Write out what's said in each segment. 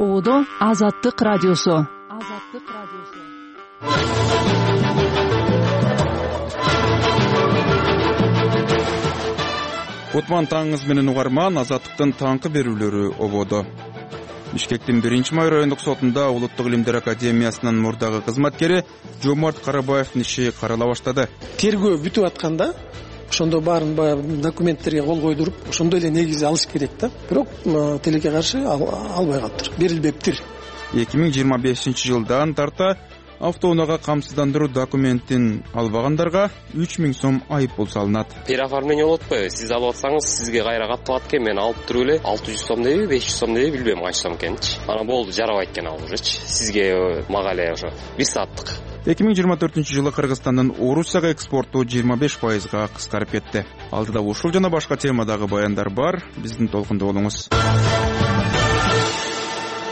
Ободо Азаттык радиосу. Кутман таңыңыз менен угарман. Азаттыктын таңкы берүүлөрү ободо. Бишкектин 1-Май райондук сотунда Улуттук илимдер академиясынын мурдагы кызматкери Жомарт Карабаевдин иши карала баштады. Тергөө бүтүп атканда ошондо баарын баягы документтерге кол койдуруп, ошондой эле негизи алыш керек да. Бирок тилекке каршы албай калыптыр, берилбептир. 2025-жылдан тарта автоунаага камсыздандыруу документин албагандарга 3000 сом айыппул салынат. Переоформление болуп атпайбы? Сиз алып атсаңыз, сизге кайра катталат экен. Мен алып туруп эле 600 сом деби, 500 сом деби билбейм канча сом экенинчи. Анан болду, жарабайт экен ал ужечи. Сизге мага эле ошо бир сааттык. 2024-жылы Кыргызстандын Орусияга экспорту 25%га кыскарып кетти. Алдыда ушул жана башка темадагы баяндар бар. Биздин толкунда болуңуз.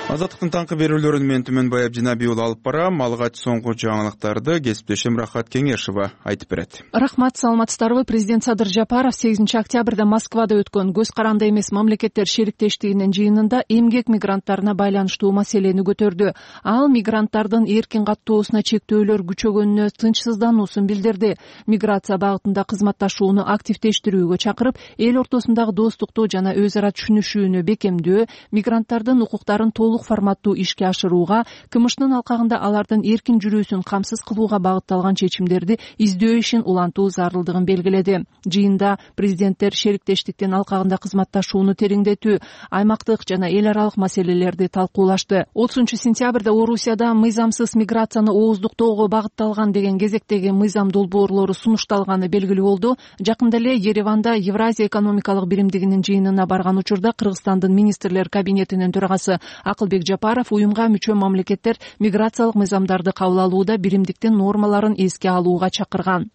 Азаттыктын таңкы берүүлөрүн мен Түмөнбай Абдинаби уулу алып барам. Алгач соңку жаңылыктарды кесиптешим Рахат Кеңешова айтып берет. Рахмат, саламатсыздарбы? Президент Садыр Жапаров 8-октябрда Москвада өткөн көз каранды эмес мамлекеттер шериктештигинин жыйынында эмгек мигранттарына байланыштуу маселени көтөрдү. Ал мигранттардын эркин каттоосуна чектөөлөр күчөгөнүнө тынчсыздануусун билдирди. Миграция багытында кызматташууну активдештирүүгө чакырып, эл ортосундагы достукту жана өз ара түшүнүшүүнү бекемдөө, мигранттардын укуктарын толук форматтуу ишке ашырууга, КМШнын алкагында алардын эркин жүрүүсүн камсыз кылууга багытталган чечимдерди издөө ишин улантуу зарылдыгын белгиледи. Жыйында президенттер шериктештиктин алкагында кызматташууну тереңдетүү, аймактык жана эл аралык маселелерди талкуулашты. 30-сентябрда Орусияда мыйзамсыз миграцияны ооздуктоого багытталган деген кезектеги мыйзам долбоорлору сунушталганы белгилүү болду. Жакында эле Ереванда Евразия экономикалык биримдигинин жыйынына барган учурда Кыргызстандын министрлер кабинетинин төрагасы Акылбек Жапаров уюмга мүчө мамлекеттер миграциялык мыйзамдарды кабыл алууда биримдиктин нормаларын эске алууга чакырган.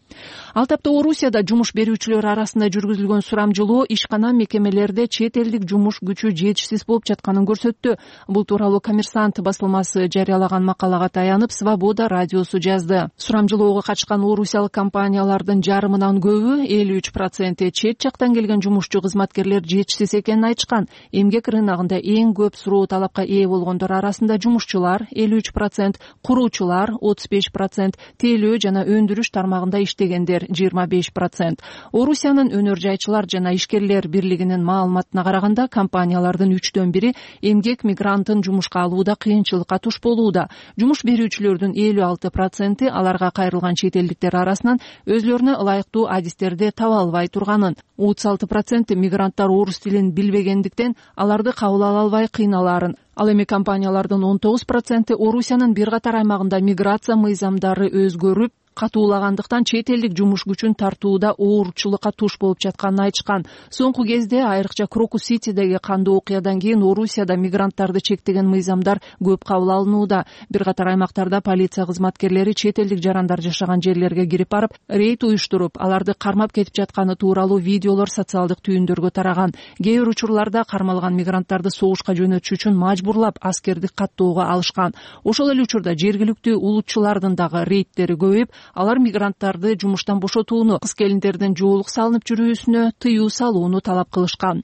Ал тапта Орусияда жумуш берүүчүлөр арасында жүргүзүлгөн сурамжылоо ишкана мекемелерде чет элдик жумуш күчү жетишсиз болуп жатканын көрсөттү. Бул тууралуу Коммерсант басылмасы жарыялаган макалага таянып, Свобода радиосу жазды. Сурамжылоого катышкан орусиялык компаниялардын жарымынан көбү 53% чет жактан келген жумушчу кызматкерлер жетишсиз экенин айтышкан. Эмгек рыногунда эң көп суроо талапка ээ болгондор арасында жумушчулар 53%, куруучулар 35%, тейлөө жана өндүрүш тармагында иштегендер 25%. Орусиянын өнөр жайчылар жана ишкерлер бирлигинин маалыматына караганда, компаниялардын 3/1 эмгек мигрантын жумушка алууда кыйынчылыкка туш болууда. Жумуш берүүчүлөрдүн 56% аларга кайрылган чет элдиктер арасынан өзлөрүнө ылайыктуу адистерди таба албай турганын, 36% мигранттар орус тилин билбегендиктен аларды кабыл ала албай кыйналарын, ал эми компаниялардын 19% Орусиянын бир катар аймагында миграция мыйзамдары өзгөрүп катуулагандыктан чет элдик жумуш күчүн тартууда оорчулукка туш болуп жатканын айтышкан. Соңку кезде айрыкча Крокус-Ситидеги кандуу окуядан кийин Орусияда мигранттарды чектеген мыйзамдар көп кабыл алынууда. Бир катар аймактарда полиция кызматкерлери чет элдик жарандар жашаган жерлерге кирип барып, рейд уюштуруп, аларды кармап кетип жатканы тууралуу видеолор социалдык түйүндөргө тараган. Кээ бир учурларда кармалган мигранттарды согушка жөнөтүш үчүн мажбурлап аскердик каттоого алышкан. Ошол эле учурда жергиликтүү улутчулардын дагы рейдтери көбөйүп, алар мигранттарды жумуштан бошотууну, кыз-келиндердин жоолук салынып жүрүүсүнө тыюу салууну талап кылышкан.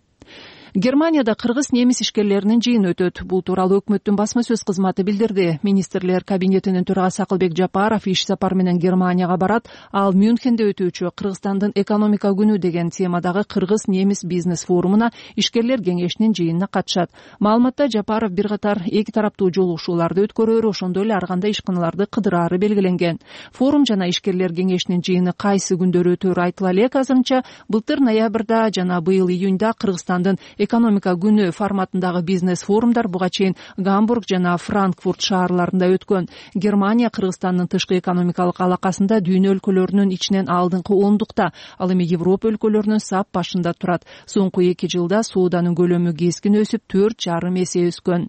Германияда кыргыз-немис ишкерлеринин жыйыны өтөт. Бул тууралуу өкмөттүн басма сөз кызматы билдирди. Министрлер кабинетинин төрагасы Акылбек Жапаров иш сапар менен Германияга барат. Ал Мюнхенде өтүүчү Кыргызстандын экономика күнү деген темадагы кыргыз-немис бизнес форумуна ишкерлер кеңешинин жыйынына катышат. Маалыматта Жапаров бир катар эки тараптуу жолугушууларды өткөрөөрү, ошондой эле ар кандай ишканаларды кыдыраары белгиленген. Форум жана ишкерлер кеңешинин жыйыны кайсы күндөрү өтөөрү айтыла элек. Азырынча былтыр ноябрда жана быйыл июнда Кыргызстандын экономика күнү форматындагы бизнес форумдар буга чейин Гамбург жана Франкфурт шаарларында өткөн. Германия Кыргызстандын тышкы экономикалык алакасында дүйнө өлкөлөрүнүн ичинен алдыңкы 10-дукта, ал эми Европа өлкөлөрүнүн сап башында турат. Соңку 2 жылда сооданын көлөмү кескин өсүп 4,5 эсе өскөн.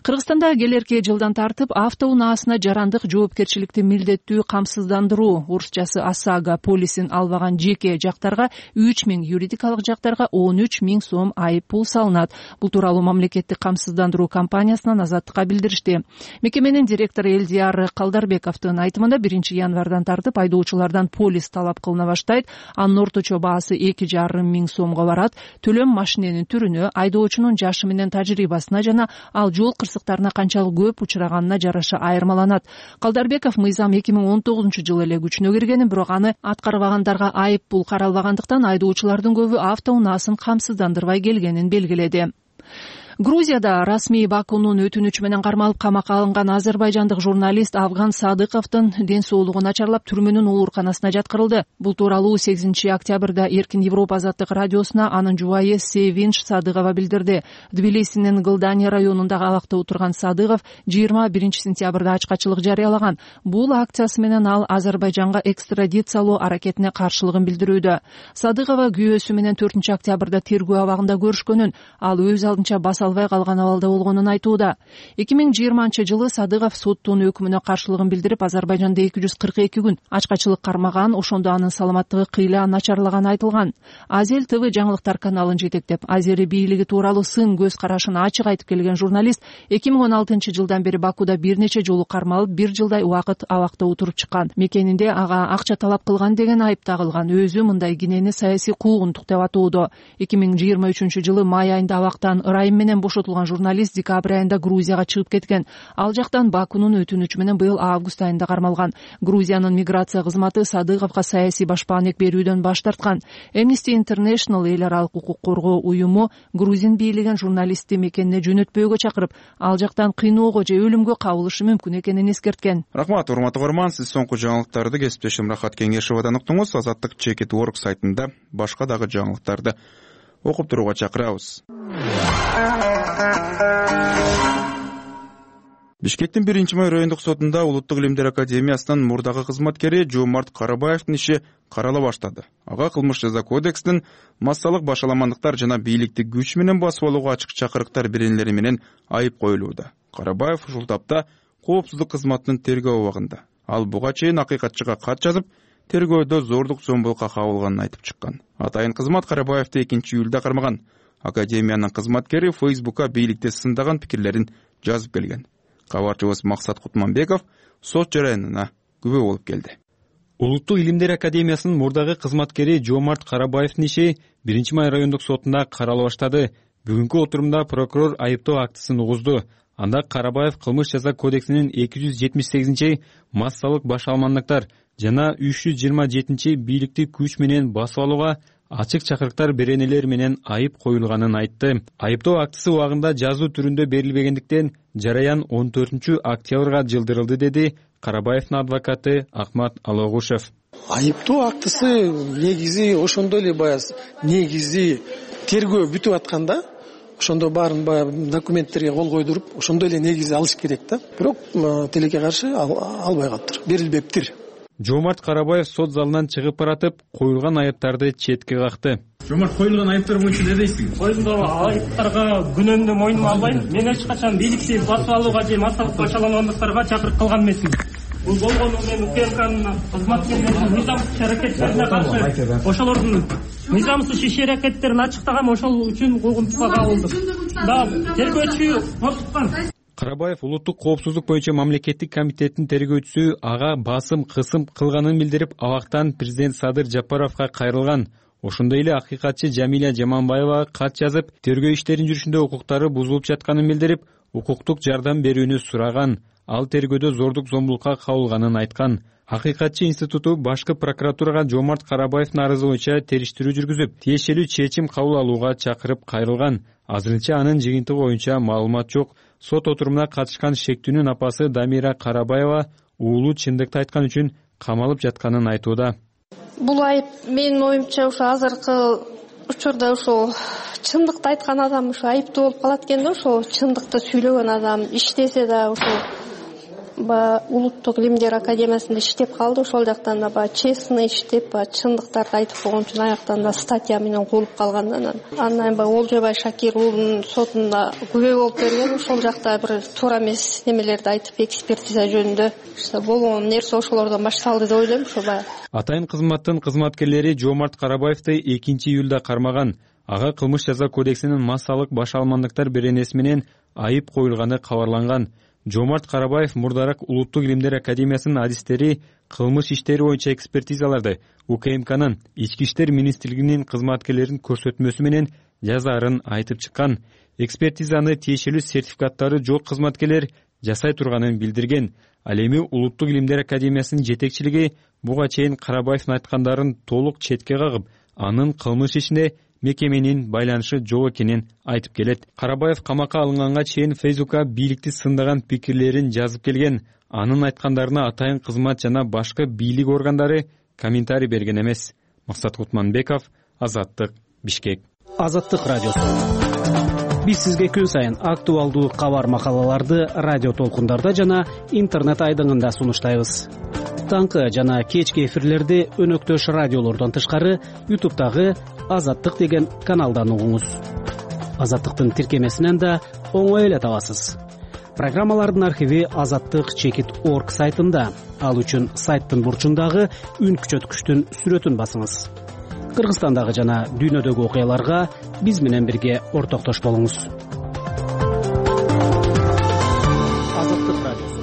Кыргызстанда келерки жылдан тартып автоунаасына жарандык жоопкерчиликти милдеттүү камсыздандыруу, орусчасы ОСАГО полисин албаган жеке жактарга 3000, юридикалык жактарга 13000 сом айып пул салынат. Бул тууралуу мамлекеттик камсыздандыруу компаниясынан Азаттыкка билдиришти. Мекеменин директору Элдияр Калдарбековдун айтымында 1-январдан тартып айдоочулардан полис талап кылына баштайт. Анын орточо баасы 2,5 сомго барат. Төлөм машиненин түрүнө, айдоочунун жашы менен тажрыйбасына жана ал жол кырсыктарына канчалык көп учураганына жараша айырмаланат. Калдарбеков мыйзам 2019-жылы эле күчүнө киргенин, бирок аны аткарбагандарга айып пул каралбагандыктан айдоочулардын көбү автоунаасын камсыздандырбай келгенин белгиледи. Грузияда расмий Бакунун өтүнүчү менен кармалып камакка алынган азербайжандык журналист Афган Садыковдун ден соолугу начарлап түрмөнүн ооруканасына жаткырылды. Бул тууралуу 8 октябрда Эркин Европа азаттык радиосуна анын жубайы Севинч Садыкова билдирди. Тбилисинин Гылдани районундагы абакта отурган Садыков 21 сентябрда ачкачылык жарыялаган. Бул акциясы менен ал Азербайжанга экстрадициялоо аракетине каршылыгын билдирүүдө. Садыкова күйөөсү менен 4 октябрда тергөө абагында көрүшкөнүн, ал өз алдынча албай калган абалда болгонун айтууда. 2020-жылы Садыков соттун өкүмүнө каршылыгын билдирип, Азербайжанда 242 күн ачкачылык кармаган, ошондо анын саламаттыгы кыйла начарлаганы айтылган. Азел ТВ жаңылыктар каналын жетектеп, азери бийлиги тууралуу сын көз карашын ачык айтып келген журналист 2016-жылдан бери Бакуда бир нече жолу кармалып, 1 жылдай убакыт абакта отуруп чыккан. Мекенинде ага акча талап кылган деген айып тагылган. Өзү мындай кинени саясий куугунтук деп атоодо. 2023-жылы май айында абактан ырайым менен бошотулган журналист декабрь айында Грузияга чыгып кеткен. Ал жактан Бакунун өтүнүчү менен быйыл август айында кармалган. Грузиянын миграция кызматы Садыковго саясий башпаанек берүүдөн баш тарткан. Amnesty International эл аралык укук коргоо уюму грузин бийлигин журналистти мекенине жөнөтпөөгө чакырып, ал жактан кыйноого же өлүмгө кабылышы мүмкүн экенин эскерткен. Рахмат, урматтуу көрөрман, сиз соңку жаңылыктарды кесиптешим Рахат Кеңешовадан уктуңуз. Азаттык Чекит.org сайтында башка дагы жаңылыктарды окуп турууга чакырабыз. Бишкектин 1-май райондук сотунда Улуттук илимдер академиясынын мурдагы кызматкери Жомарт Карабаевдин иши карала баштады. Ага кылмыш жаза кодексинин массалык башаламандыктар жана бийликти күч менен басып алууга ачык чакырыктар беренелери менен айып коюлууда. Карабаев ушул тапта коопсуздук кызматынын тергөө абагында. Ал буга чейин акыйкатчыга кат жазып, тергөөдө зордук зомбулукка кабылганын айтып чыккан. Атайын кызмат Карабаевди 2-июлда кармаган. Академиянын кызматкери Фейсбукка бийликти сындаган пикирлерин жазып келген. Кабарчыбыз Максат Кутманбеков сот жараянына күбө болуп келди. Улуттук илимдер академиясынын мурдагы кызматкери Жомарт Карабаевдин иши 1-май райондук сотунда карала баштады. Бүгүнкү отурумда прокурор айыптоо актысын угузду. Анда Карабаев кылмыш жаза кодексинин 278 массалык башаламандыктар жана 327 бийликти күч менен басып алууга ачык чакырыктар беренелер менен айып коюлганын айтты. Айыптоо актысы убагында жазуу түрүндө берилбегендиктен жараян 14 октябрга жылдырылды, деди Карабаевдин адвокаты Ахмат Алогушев. Айыптоо актысы негизи ошондой эле негизи тергөө бүтүп атканда, ошондо баарын документтерге кол койдуруп, ошондой эле негизи алыш керек да. Бирок тилекке каршы албай калыптыр, берилбептир. Жомарт Карабаев сот залынан чыгып баратып, коюлган айыптарды четке какты. Жомарт, коюлган айыптар боюнча не дейсиз? Коюлган айыптарга күнөөмдү мойнума албайм. Мен эч качан бийликти басып алууга же массалык башаламандыктарга чакырып кылган эмесмин. Бул болгону мен УКМКнын кызматкерлеринин мыйзамсыз иш-аракеттерине каршы ошолордун мыйзамсыз иш-аракеттерин ачыктаган, ошол үчүн куугунтукка кабылдым. Да, тергөөчү тосуткан. Карабаев улуттук коопсуздук боюнча мамлекеттик комитеттин тергөөчүсү ага басым кысым кылганын билдирип, абактан президент Садыр Жапаровго кайрылган. Ошондой эле акыйкатчы Жамиля Жаманбаевага кат жазып, тергөө иштерин жүрүшүндө укуктары бузулуп жатканын билдирип, укуктук жардам берүүнү сураган. Ал тергөөдө зордук зомбулукка кабылганын айткан. Акыйкатчы институту башкы прокуратурага Жомарт Карабаевдин арызы боюнча териштирүү жүргүзүп, тиешелүү чечим кабыл алууга чакырып кайрылган. Азырынча анын жыйынтыгы боюнча маалымат жок. Сот отурумуна катышкан шектүүнүн апасы Дамира Карабаева уулу чындыкты айткан үчүн камалып жатканын айтууда. Бул айып менин оюмча ошо азыркы учурда ошо чындыкты айткан адам ошо айыптуу болуп калат экен да, ошо чындыкты сүйлөгөн адам иштесе да ошо Улуттук илимдер академиясында иштеп калды, ошол жактан да честный иштеп, чындыктарды айтып койгон үчүн аяктан да статья менен куулуп калгандан андан Олжобай Шакир уулунун сотунда күбө болуп берген, ошол жакта бир туура эмес немелерди айтып экспертиза жөнүндө болгон нерсе ошолордон башталды деп ойлойм. Ошо Атайын кызматтын кызматкерлери Жомарт Карабаевди 2-июлда кармаган. Ага кылмыш жаза кодексинин массалык башаламандыктар беренеси менен айып коюлганы кабарланган. Жомарт Карабаев мурдараак Улуттук илимдер академиясынын адистери кылмыш иштери боюнча экспертизаларды УКМКнын Ички иштер министрлигинин кызматкерлеринин көрсөтмөсү менен жазаарын айтып чыккан. экспертизаны тиешелүү сертификаттары жок кызматкерлер жасай турганын билдирген. Ал эми Улуттук Илимдер Академиясынын жетекчилиги буга чейин Карабаевдин айткандарын толук четке кагып, анын кылмыш ишине мекеменин байланышы жок экенин айтып келет. Карабаев камакка алынганга чейин Фейсбукка бийликти сындаган пикирлерин жазып келген. Анын айткандарына атайын кызмат жана башка бийлик органдары комментарий берген эмес. Максат Кутманбеков, Азаттык, Бишкек. Азаттык радиосу. Биз сизге күн сайын актуалдуу кабар макалаларды радио толкундарда жана интернет айдыңында сунуштайбыз. Таңкы жана кечки эфирлерди өнөктөш радиолордон тышкары YouTube'дагы Азаттык деген каналдан угуңуз. Азаттыктын тиркемесинен да оңой эле табасыз. Программалардын архиви azattik.org сайтында. Ал үчүн сайттын бурчундагы үн күчөткүчтүн сүрөтүн басыңыз. Кыргызстандагы жана дүйнөдөгү окуяларга биз менен бирге ортоктош болуңуз. Азаттык радиосу.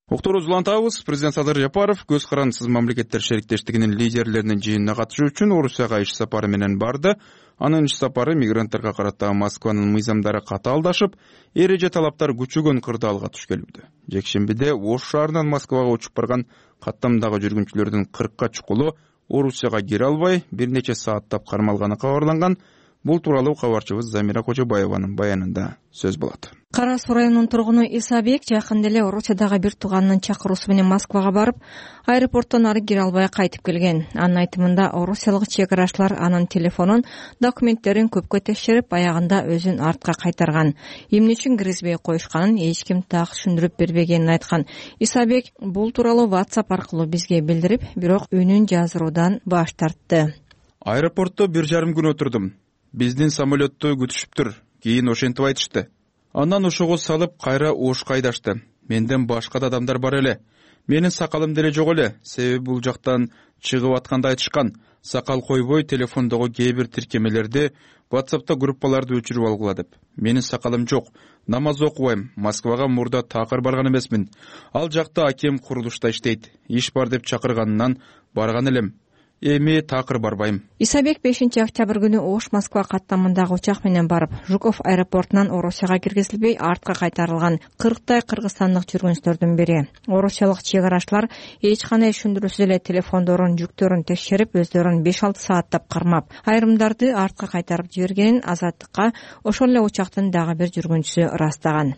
Уктуруу улантабыз. Президент Садыр Жапаров көз карандысыз мамлекеттер шериктештигинин лидерлеринин жыйынына катышуу үчүн Орусияга иш сапары менен барды. Анын иш сапары мигранттарга карата Москванын мыйзамдары катаалдашып, эреже талаптар күчөгөн кырдаалга туш келүүдө. Жекшембиде Ош шаарынан Москвага учуп барган каттамдагы жүргүнчүлөрдүн 40ка чукулу Орусияга кире албай, бир нече сааттап кармалганы кабарланган. Бул тууралуу кабарчыбыз Замира Кожобаеванын баянында сөз болот. Кара Суу районунун тургуну Исабек жакында эле Орусиядагы бир тууганынын чакыруусу менен Москвага барып, аэропорттон ары кире албай кайтып келген. Анын айтымында орусиялык чек карачлар анын телефонун, документтерин көпкө текшерип, аягында өзүн артка кайтарган. Эмне үчүн киргизбей коюшканын эч ким так түшүндүрүп бербегенин айткан. Исабек бул тууралуу WhatsApp аркылуу бизге билдирип, бирок үнүн жаздыруудан баш тартты. Аэропортто 1,5 күн отурдум. Биздин самолетту күтүшүптүр. Кийин ошентип айтышты. Андан ушугу салып кайра Ошко айдашты. Менден башка да адамдар бар эле. Менин сакалым деле жок эле. Себеби бул жактан чыгып атканда айтышкан. Сакал койбой телефондогу кээ бир тиркемелерди, WhatsApp'та группаларды өчүрүп алгыла деп. Менин сакалым жок. Намаз окубайм. Москвага мурда такыр барган эмесмин. Ал жакта акем курулушта иштейт. Иш бар деп чакырганынан барган элем. Эми такыр барбайм. Исабек 5-октябрь күнү Ош Москва каттамындагы учак менен барып, Жуков аэропортунан Орусияга киргизилбей артка кайтарылган 40тай кыргызстандык жүргүнчүлөрдүн бири. Орусиялык чек карачлар эч кандай түшүндүрүүсүз эле телефондорун, жүктөрүн текшерип, өздөрүн 5-6 сааттап кармап, айрымдарды артка кайтарып жибергенин Азаттыкка ошол эле учактын дагы бир жүргүнчүсү ырастаган.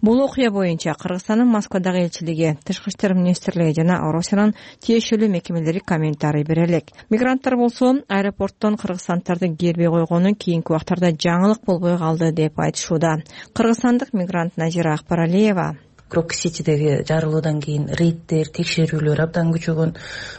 Бул окуя боюнча Кыргызстандын Москвадагы элчилиги, Тышкы иштер министрлиги жана Орусиянын тиешелүү мекемелери комментарий берели. Мигранттар болсо аэропорттон кыргызстанддарды келбей койгону кийинки убактарда жаңылык болбой калды деп айтышууда. Кыргызстандык мигрант Назира Акбаралиева: Крок-Ситидеги жарылуудан кийин рейддер, текшерүүлөр абдан күчөгөн.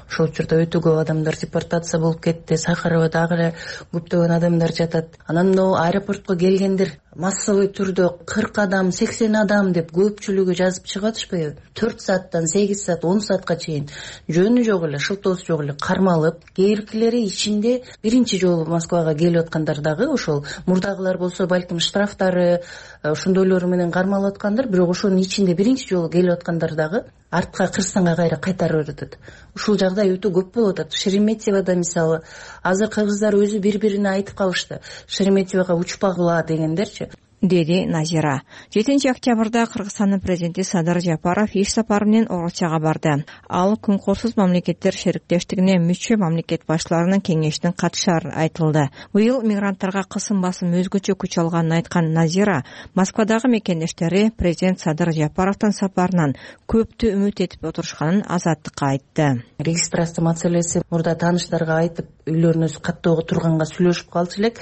Ошол учурда өтө көп адамдар депортация болуп кетти. Сахарова дагы эле көптөгөн адамдар жатат. Анан аэропортко келгендер массовый түрдө 40 адам, 80 адам деп көпчүлүгү жазып чыгып атышпайбы? 4 сааттан 8 саат, 10 саатка чейин жөнү жок эле, шылтоосу жок эле кармалып, кээбиркилери ичинде биринчи жолу Москвага келип аткандар дагы ошол мурдагылар болсо балким штрафтары ошондойлор менен кармалып аткандар, бирок ошонун ичинде биринчи жолу келип аткандар дагы артка Кыргызстанга кайра кайтарып берет. Ушул жагдай өтө көп болуп атат. Шереметьевада мисалы азыр кыргыздар өзү бири-бирине айтып калышты. Шереметьевага учпагыла дегендерчи, деди Назира. 7-октябрда Кыргызстандын президенти Садыр Жапаров иш сапары менен Орусияга барды. Ал Күнкурсуз мамлекеттер шериктештигине мүчө мамлекет башчыларынын кеңешине катышары айтылды. Быйыл мигранттарга кысым басым өзгөчө күч алганын айткан Назира Москвадагы мекендештери президент Садыр Жапаровдун сапарынан көптү үмүт этип отурушканын Азаттыкка айтты. Регистрация маселеси мурда тааныштарга айтып, үйлөрүнө каттоого турганга сүйлөшүп калчу элек.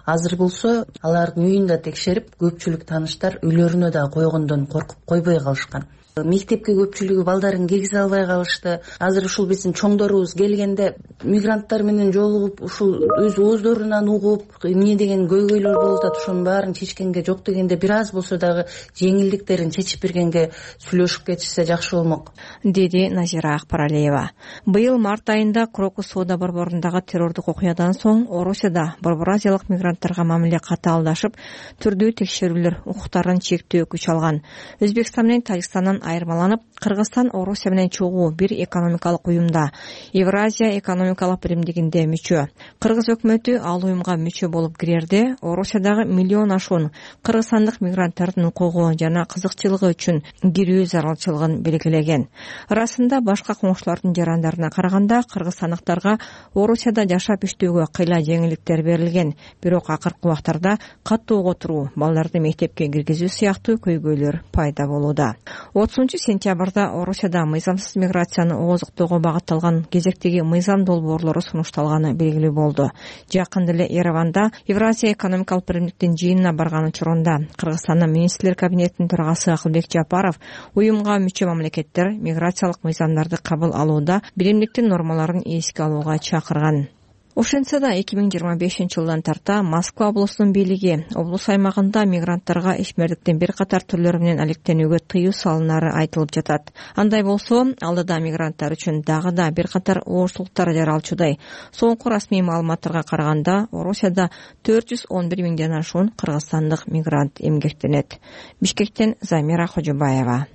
Азыр болсо алардын үйүн да текшерип, көпчүлүк тааныштар үйлөрүнө да койгондон коркуп койбой калышкан. Мектепке көпчүлүгү балдарын киргизе албай калышты. Азыр ушул биздин чоңдорубуз келгенде мигранттар менен жолугуп, ушул өз ооздорунан угуп, эмне деген көйгөйлөр болуп атат, ошонун баарын чечкенге, жок дегенде бир аз болсо дагы жеңилдиктерин чечип бергенге сүйлөшүп кетишсе жакшы болмок, деди Назира Акбаралиева. Быйыл март айында Крокус соода борборундагы террордук окуядан соң Орусияда борбор азиялык мигранттарга мамиле катаалдашып, түрдүү текшерүүлөр, укуктарын чектөө күч алган. Өзбекстан менен Тажикстандын айырмаланып, Кыргызстан Орусия менен чогуу бир экономикалык уюмда, Евразия экономикалык биримдигинде мүчө. Кыргыз өкмөтү ал уюмга мүчө болуп кирерде Орусиядагы миллион ашуун кыргызстандык мигранттардын укугу жана кызыкчылыгы үчүн кирүү зарылчылыгын белгилеген. Расында башка коңшулардын жарандарына караганда кыргызстандыктарга Орусияда жашап иштөөгө кыйла жеңилдиктер берилген, бирок акыркы убактарда катуу отуруу, балдарды мектепке киргизүү сыяктуу көйгөйлөр пайда болууда. 30-сентябрда Орусияда мыйзамсыз миграцияны ооздуктоого багытталган кезектеги мыйзам долбоорлору сунушталганы белгилүү болду. Жакында эле Ереванда Евразия экономикалык биримдиктин жыйынына барган учурунда Кыргызстандын министрлер кабинетинин төрагасы Акылбек Жапаров уюмга мүчө мамлекеттер миграциялык мыйзамдарды кабыл алууда биримдиктин нормаларын эске алууга чакырган. Ошентсе да 2025-жылдан тарта Москва облусунун бийлиги облус аймагында мигранттарга ишмердиктин бир катар түрлөрү менен алектенүүгө тыюу салынары айтылып жатат. Андай болсо, алдыда мигранттар үчүн дагы да бир катар ооштулуктар жаралчудай. Соңку расмий маалыматтарга караганда, Орусияда 411 миңден ашуун кыргызстандык мигрант эмгектенет. Бишкектен Замира Хожобаева.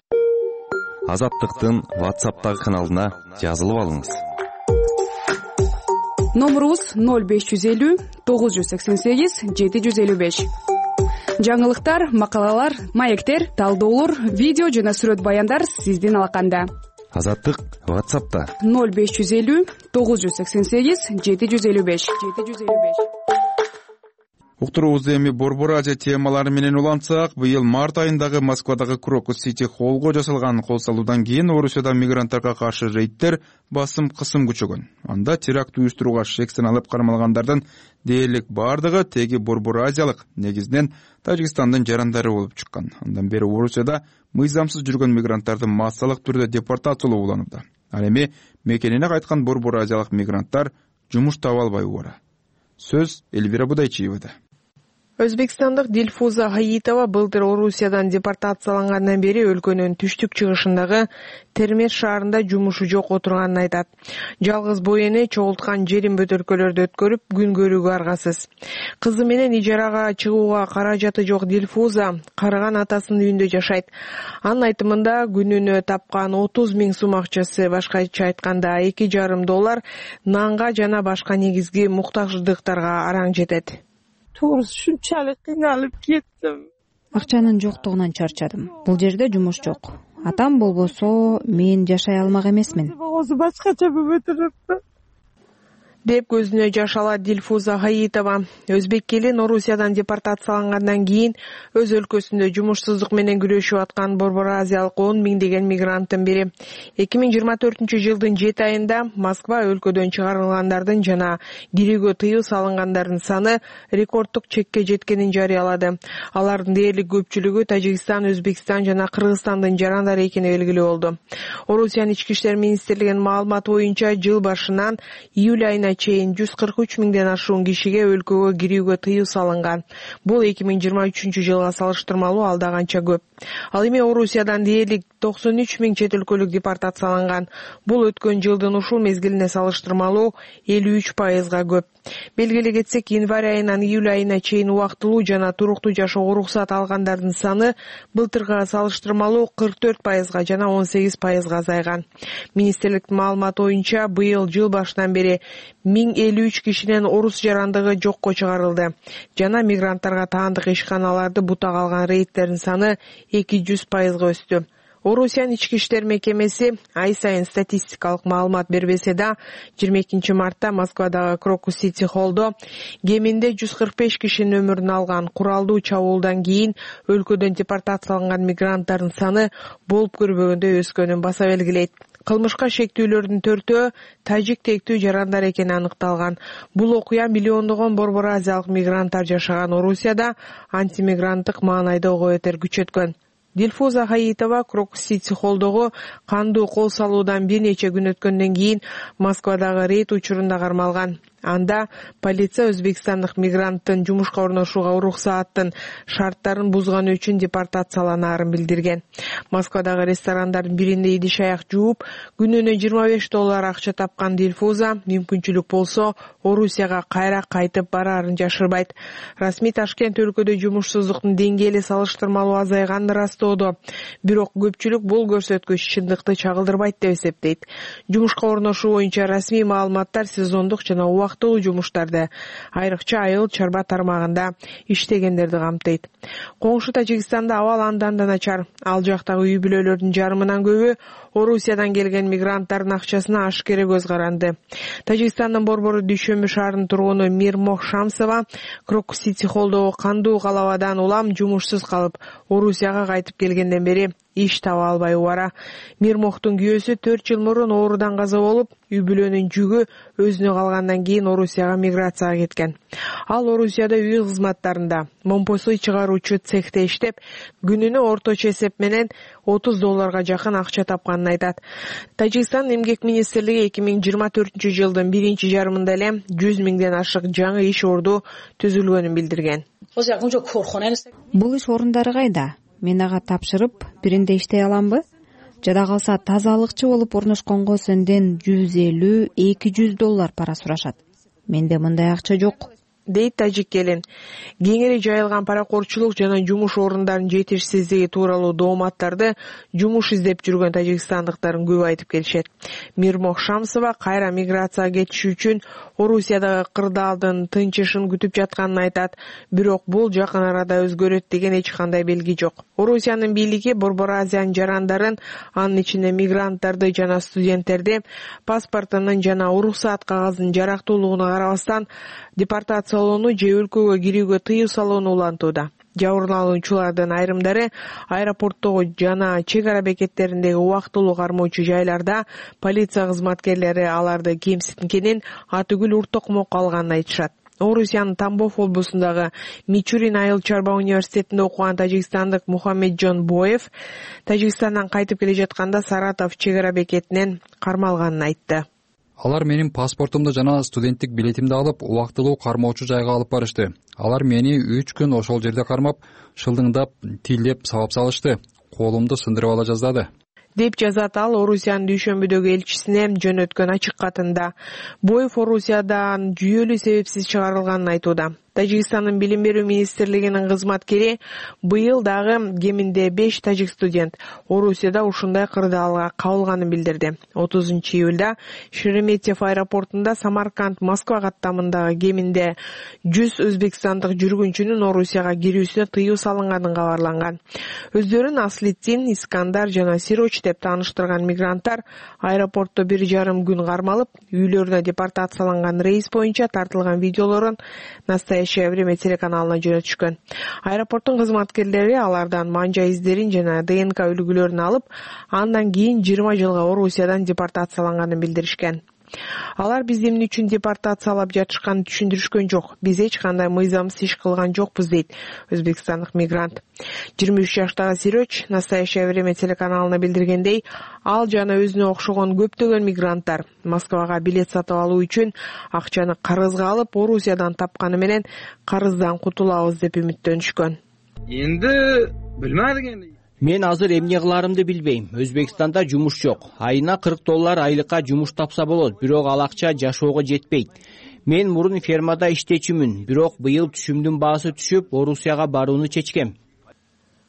Азаттыктын WhatsApp'тагы каналына жазылып алыңыз. Номерубуз 0550 988 755. Жаңылыктар, макалалар, маектер, талдоолор, видео жана сүрөт баяндар сиздин алаканда. Азаттык WhatsApp'та 0550 988 755. Уктуруубузду эми Борбор Азия темалары менен улантсак, быйыл март айындагы Москвадагы Крокус Сити холлго жасалган кол салуудан кийин Орусияда мигранттарга каршы рейдтер басым-кысым күчөгөн. Анда теракт уюштурууга шек саналып кармалгандардын дээрлик бардыгы теги Борбор Азиялык, негизинен Тажикстандын жарандары болуп чыккан. Андан бери Орусияда мыйзамсыз жүргөн мигранттарды массалык түрдө депортациялоо уланууда. Ал эми мекенине кайткан Борбор Азиялык мигранттар жумуш таба албай убара. Сөз Эльвира Будайчиевада. Өзбекстандык Дилфуза Хаитова былтыр Орусиядан депортациялангандан бери өлкөнүн түштүк чыгышындагы Термеш шаарында жумушу жок отурганын айтат. Жалгыз бой эне чогулткан жерин бөтөлкөлөрдө өткөрүп, күн көрүүгө аргасыз. Кызы менен ижарага чыгууга каражаты жок Дилфуза карыган атасынын үйүндө жашайт. Анын айтымында күнүнө тапкан 30 000 сом акчасы, башкача айтканда $2,5 нанга жана башка негизги муктаждыктарга араң жетет. Ушунчалык кыйналып кеттим. Акчанын жоктугунан чарчадым. Бул жерде жумуш жок. Атам болбосо мен жашай алмак эмесмин. Башкача болуп турупты. деп көзүнө жаш алат Дилфуза Хаитова. Өзбек келин Орусиядан депортациялангандан кийин өз өлкөсүндө жумушсуздук менен күрөшүп аткан Борбор Азиялык 10 миңдеген мигранттын бири. 2024-жылдын 7 айында Москва өлкөдөн чыгарылгандардын жана кирүүгө тыюу салынгандардын саны рекорддук чекке жеткенин жарыялады. Алардын дээрлик көпчүлүгү Тажикстан, Өзбекстан жана Кыргызстандын жарандары экени белгилүү болду. Орусиянын ички иштер министрлигинин маалыматы боюнча жыл башынан июль айына чейин 143 миңден ашуун кишиге өлкөгө кирүүгө тыюу салынган. Бул 2023-жылга салыштырмалуу алда канча көп. Ал эми Орусиядан дээрлик 93 миң чет өлкөлүк депортацияланган. Бул өткөн жылдын ушул мезгилине салыштырмалуу 53%га көп. Белгилей кетсек, январь айынан июль айына чейин убактылуу жана туруктуу жашоого уруксат алгандардын саны былтырга салыштырмалуу 44%га жана 18%га азайган. Министрликтин маалыматы боюнча быйыл жыл башынан бери 1053 кишинин орус жарандыгы жокко чыгарылды. Жана мигранттарга таандык ишканаларды бутак алган рейдтердин саны 200%га өстү. Орусиянын ички иштер мекемеси ай сайын статистикалык маалымат бербесе да, 22 мартта Москвадагы Крокус Сити холлдо кеминде 145 кишинин өмүрүн алган куралдуу чабуулдан кийин өлкөдөн депортацияланган мигранттардын саны болуп көрбөгөндөй өскөнүн баса белгилейт. Кылмышка шектүүлөрдүн 4-өө тажик тектүү жарандар экени аныкталган. Бул окуя миллиондогон борбор азиялык мигранттар жашаган Орусияда антимигранттык маанайда ого бетер күчөткөн. Дилфуза Хаитова Крокус Сити холлдогу кандуу кол салуудан бир нече күн өткөндөн кийин Москвадагы рейд учурунда кармалган. Анда полиция өзбекстандык мигранттын жумушка орношууга уруксааттын шарттарын бузганы үчүн депортацияланаарын билдирген. Москвадагы ресторандардын биринде идиш аяк жууп, күнүнө $25 акча тапкан Дильфуза мүмкүнчүлүк болсо Орусияга кайра кайтып бараарын жашырбайт. Расмий Ташкент өлкөдө жумушсуздуктун деңгээли салыштырмалуу азайганын ырастоодо, бирок көпчүлүк бул көрсөткүч чындыкты чагылдырбайт деп эсептейт. Жумушка орношуу боюнча расмий маалыматтар сезондук жана убактылуу жумуштарды, айрыкча айыл чарба тармагында иштегендерди камтыйт. Коңшу Тажикстанда абал андан да начар. Ал жактагы үй бүлөлөрдүн жарымынан көбү Орусиядан келген мигранттардын акчасына ашкере көз каранды. Тажикстандын борбору Дүйшөмбү шаарынын тургуну Мирмох Шамсова Крокус-Сити холдогу кандуу калабадан улам жумушсуз калып, Орусияга кайтып келгенден бери иш таба албай убара. Мирмохтун күйөөсү 4 жыл мурун оорудан каза болуп, үй бүлөнүн жүгү өзүнө калгандан кийин Орусияга миграцияга кеткен. Ал Орусияда үй кызматтарында момпосуй чыгаруучу цехте иштеп, күнүнө орточо эсеп менен $30 жакын акча тапканын айтат. Тажикстан эмгек министрлиги 2024-жылдын биринчи жарымында эле 100 миңден ашык жаңы иш орду түзүлгөнүн билдирген. Бул иш орундары кайда? Мен ага тапшырып, биринде иштей аламбы? Жада калса тазалыкчы болуп орношконго сенден $150-200 пара сурашат. Менде мындай акча жок, дейт тажик келин. Кеңири жайылган паракорчулук жана жумуш орундарын жетишсиздиги тууралуу дооматтарды жумуш издеп жүргөн тажикстандыктардын көп айтып келишет. Мирмох Шамсова кайра миграцияга кетиш үчүн Орусиядагы кырдаалдын тынчышын күтүп жатканын айтат, бирок бул жакын арада өзгөрөт деген эч кандай белги жок. Орусиянын бийлиги Борбор Азиянын жарандарын, анын ичинде мигранттарды жана студенттерди паспортунун жана уруксаат кагазынын жарактуулугуна карабастан депортациялоону же өлкөгө кирүүгө тыюу салууну улантууда. Жабырлануучулардын айрымдары аэропорттогу жана чек ара бекеттериндеги убактылуу кармоочу жайларда полиция кызматкерлери аларды кемситкенин, атүгүл уртокмок алганын айтышат. Орусиянын Тамбов облусундагы Мичурин айыл чарба университетинде окуган тажикстандык Мухаммеджон Боев Тажикстандан кайтып келе жатканда Саратов чек ара бекетинен кармалганын айтты. Алар менин паспортумду жана студенттик билетимди алып, убактылуу кармоочу жайга алып барышты. Алар мени 3 күн ошол жерде кармап, шылдыңдап, тилдеп сабап салышты. Колумду сындырып ала жаздады, деп жазат ал Орусиянын Дүйшөмбүдөгү элчисине жөнөткөн ачык катында. Боев Орусиядан жүйөлүү себепсиз чыгарылганын айтууда. Тажикстандын билим берүү министрлигинин кызматкери быйыл дагы кеминде 5 тажик студент Орусияда ушундай кырдаалга кабылганын билдирди. 30-июлда Шереметьев аэропортунда Самарканд-Москва каттамындагы кеминде 100 өзбекстандык жүргүнчүнүн Орусияга кирүүсүнө тыюу салынганын кабарланган. Өздөрүн Аслиддин, Искандар жана Сироч деп тааныштырган мигранттар аэропортто 1,5 күн кармалып, үйлөрүнө депортацияланган рейс боюнча тартылган видеолорун «Настоящее время» телеканалына жөнөтүшкөн. Аэропорттун кызматкерлери алардан манжа издерин жана ДНК үлгүлөрүн алып, андан кийин 20 жылга Орусиядан депортацияланганын билдиришкен. Алар бизди эмне үчүн депортациялап жатышканын түшүндүрүшкөн жок. Биз эч кандай мыйзамсыз иш кылган жокпуз, дейт өзбекстандык мигрант. 23 жаштагы Сироч «Настоящее время» телеканалына билдиргендей, ал жана өзүнө окшогон көптөгөн мигранттар Москвага билет сатып алуу үчүн акчаны карызга алып, Орусиядан тапканы менен карыздан кутулабыз деп үмүттөнүшкөн. Энди билмедим. Мен азыр эмне кыларымды билбейм. Өзбекстанда жумуш жок. Айына $40 айлыкка жумуш тапса болот, бирок ал акча жашоого жетпейт. Мен мурун фермада иштечүмүн, бирок быйыл түшүмдүн баасы түшүп, Орусияга барууну чечкем,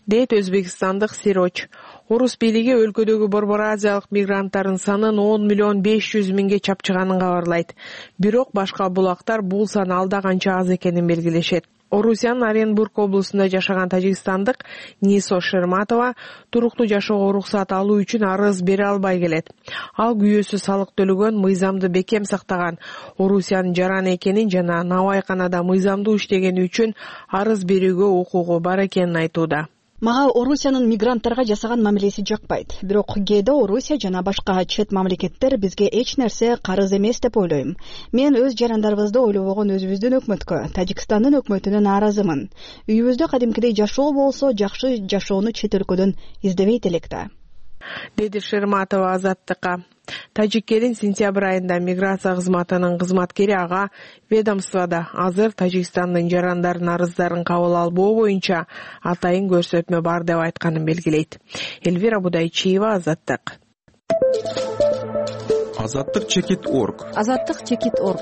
дейт өзбекстандык Сироч. Орус бийлиги өлкөдөгү Борбор Азиялык мигранттардын санын 10,5 миңге чапчыганын кабарлайт. Бирок башка булактар бул сан алда канча аз экенин белгилешет. Орусиянын Оренбург облусунда жашаган тажикстандык Нисо Шерматова туруктуу жашоого уруксаат алуу үчүн арыз бере албай келет. Ал күйөөсү салык төлөгөн, мыйзамды бекем сактаган, Орусиянын жараны экенин жана навайканада мыйзамдуу иштегени үчүн арыз берүүгө укугу бар экенин айтууда. Мага Орусиянын мигранттарга жасаган мамилеси жакпайт. Бирок кээде Орусия жана башка чет мамлекеттер бизге эч нерсе карыз эмес деп ойлойм. Мен өз жарандарыбызды ойлобогон өзүбүздүн өкмөткө, Тажикстандын өкмөтүнө нааразымын. Үйүбүздө кадимкидей жашоо болсо, жакшы жашоону чет өлкөдөн издебейт элек да. деди Шерматова Азаттыкка. Тажик элин сентябрь айында миграция кызматынын кызматкери ага ведомствода азыр Тажикстандын жарандардын арыздарын кабыл албоо боюнча атайын көрсөтмө бар деп айтканын белгилейт. Элвира Будайчиева, Азаттык. Азаттык.org. Азаттык.org.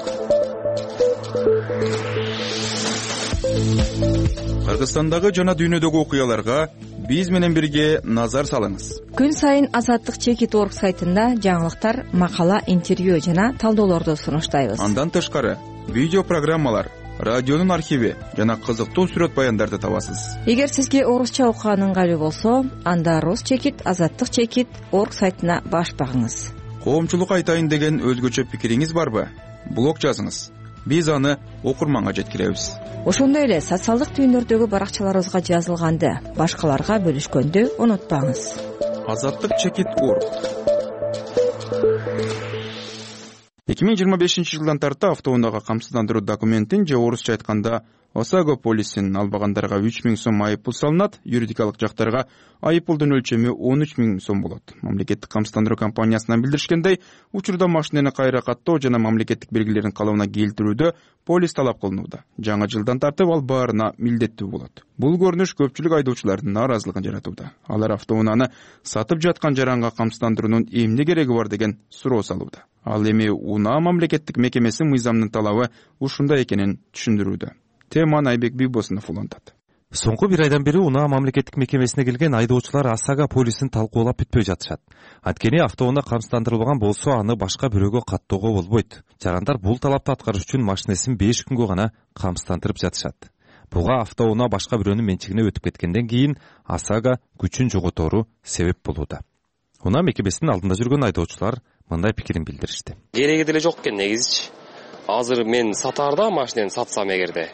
Кыргызстандагы жана дүйнөдөгү окуяларга биз менен бирге назар салыңыз. Күн сайын Азаттык.org сайтында жаңылыктар, макала, интервью жана талдоолорду сунуштайбыз. Андан тышкары видео программалар, радионун архиви жана кызыктуу сүрөт баяндарды табасыз. Эгер сизге орусча окуган ыңгайлуу болсо, анда Азаттык.org сайтына баш багыңыз. Коомчулукка айтайын деген өзгөчө пикириңиз барбы? Блог жазыңыз. Биз аны окурманга жеткиребиз. Ошондой эле социалдык түйүндөрдөгү баракчаларыбызга жазылганды башкаларга бөлүшкөндү унутпаңыз. Азаттык.org. 2025 жылдан тарта автоунаага камсыздандыруу документин же орусча айтканда ОСАГО полисин албагандарга 3000 сом айыппул салынат, юридикалык жактарга айыппулдун өлчөмү 13 000 сом болот. Мамлекеттик камсыздандыруу компаниясынан билдиришкендей, учурда машинени кайра каттоо жана мамлекеттик белгилерин калыбына келтирүүдө полис талап кылынууда. Жаңы жылдан тартып ал баарына милдеттүү болот. Бул көрүнүш көпчүлүк айдоочулардын нааразылыгын жаратууда. Алар автоунааны сатып жаткан жаранга камсыздандыруунун эмне кереги бар деген суроо салууда. Ал эми унаа мамлекеттик мекемеси мыйзамынын талабы ушундай экенин түшүндүрүүдө. Теманы Айбек Бийбосунов улантат. Соңку бир айдан бери унаа мамлекеттик мекемесине келген айдоочулар ОСАГО полисин талкуулап бүтпөй жатышат. Анткени автоунаа камсыздандырылган болсо, аны башка бирөөгө каттоого болбойт. Жарандар бул талапты аткарыш үчүн машинесин 5 күнгө гана камсыздандырып жатышат. Буга автоунаа башка бирөөнүн менчигине өтүп кеткенден кийин ОСАГО күчүн жоготору себеп болууда. Унаа мекемесинин алдында жүргөн айдоочулар мындай пикирин билдиришти. Кереги деле жок экен негизичи. Азыр мен сатаарда машинени сатсам эгерде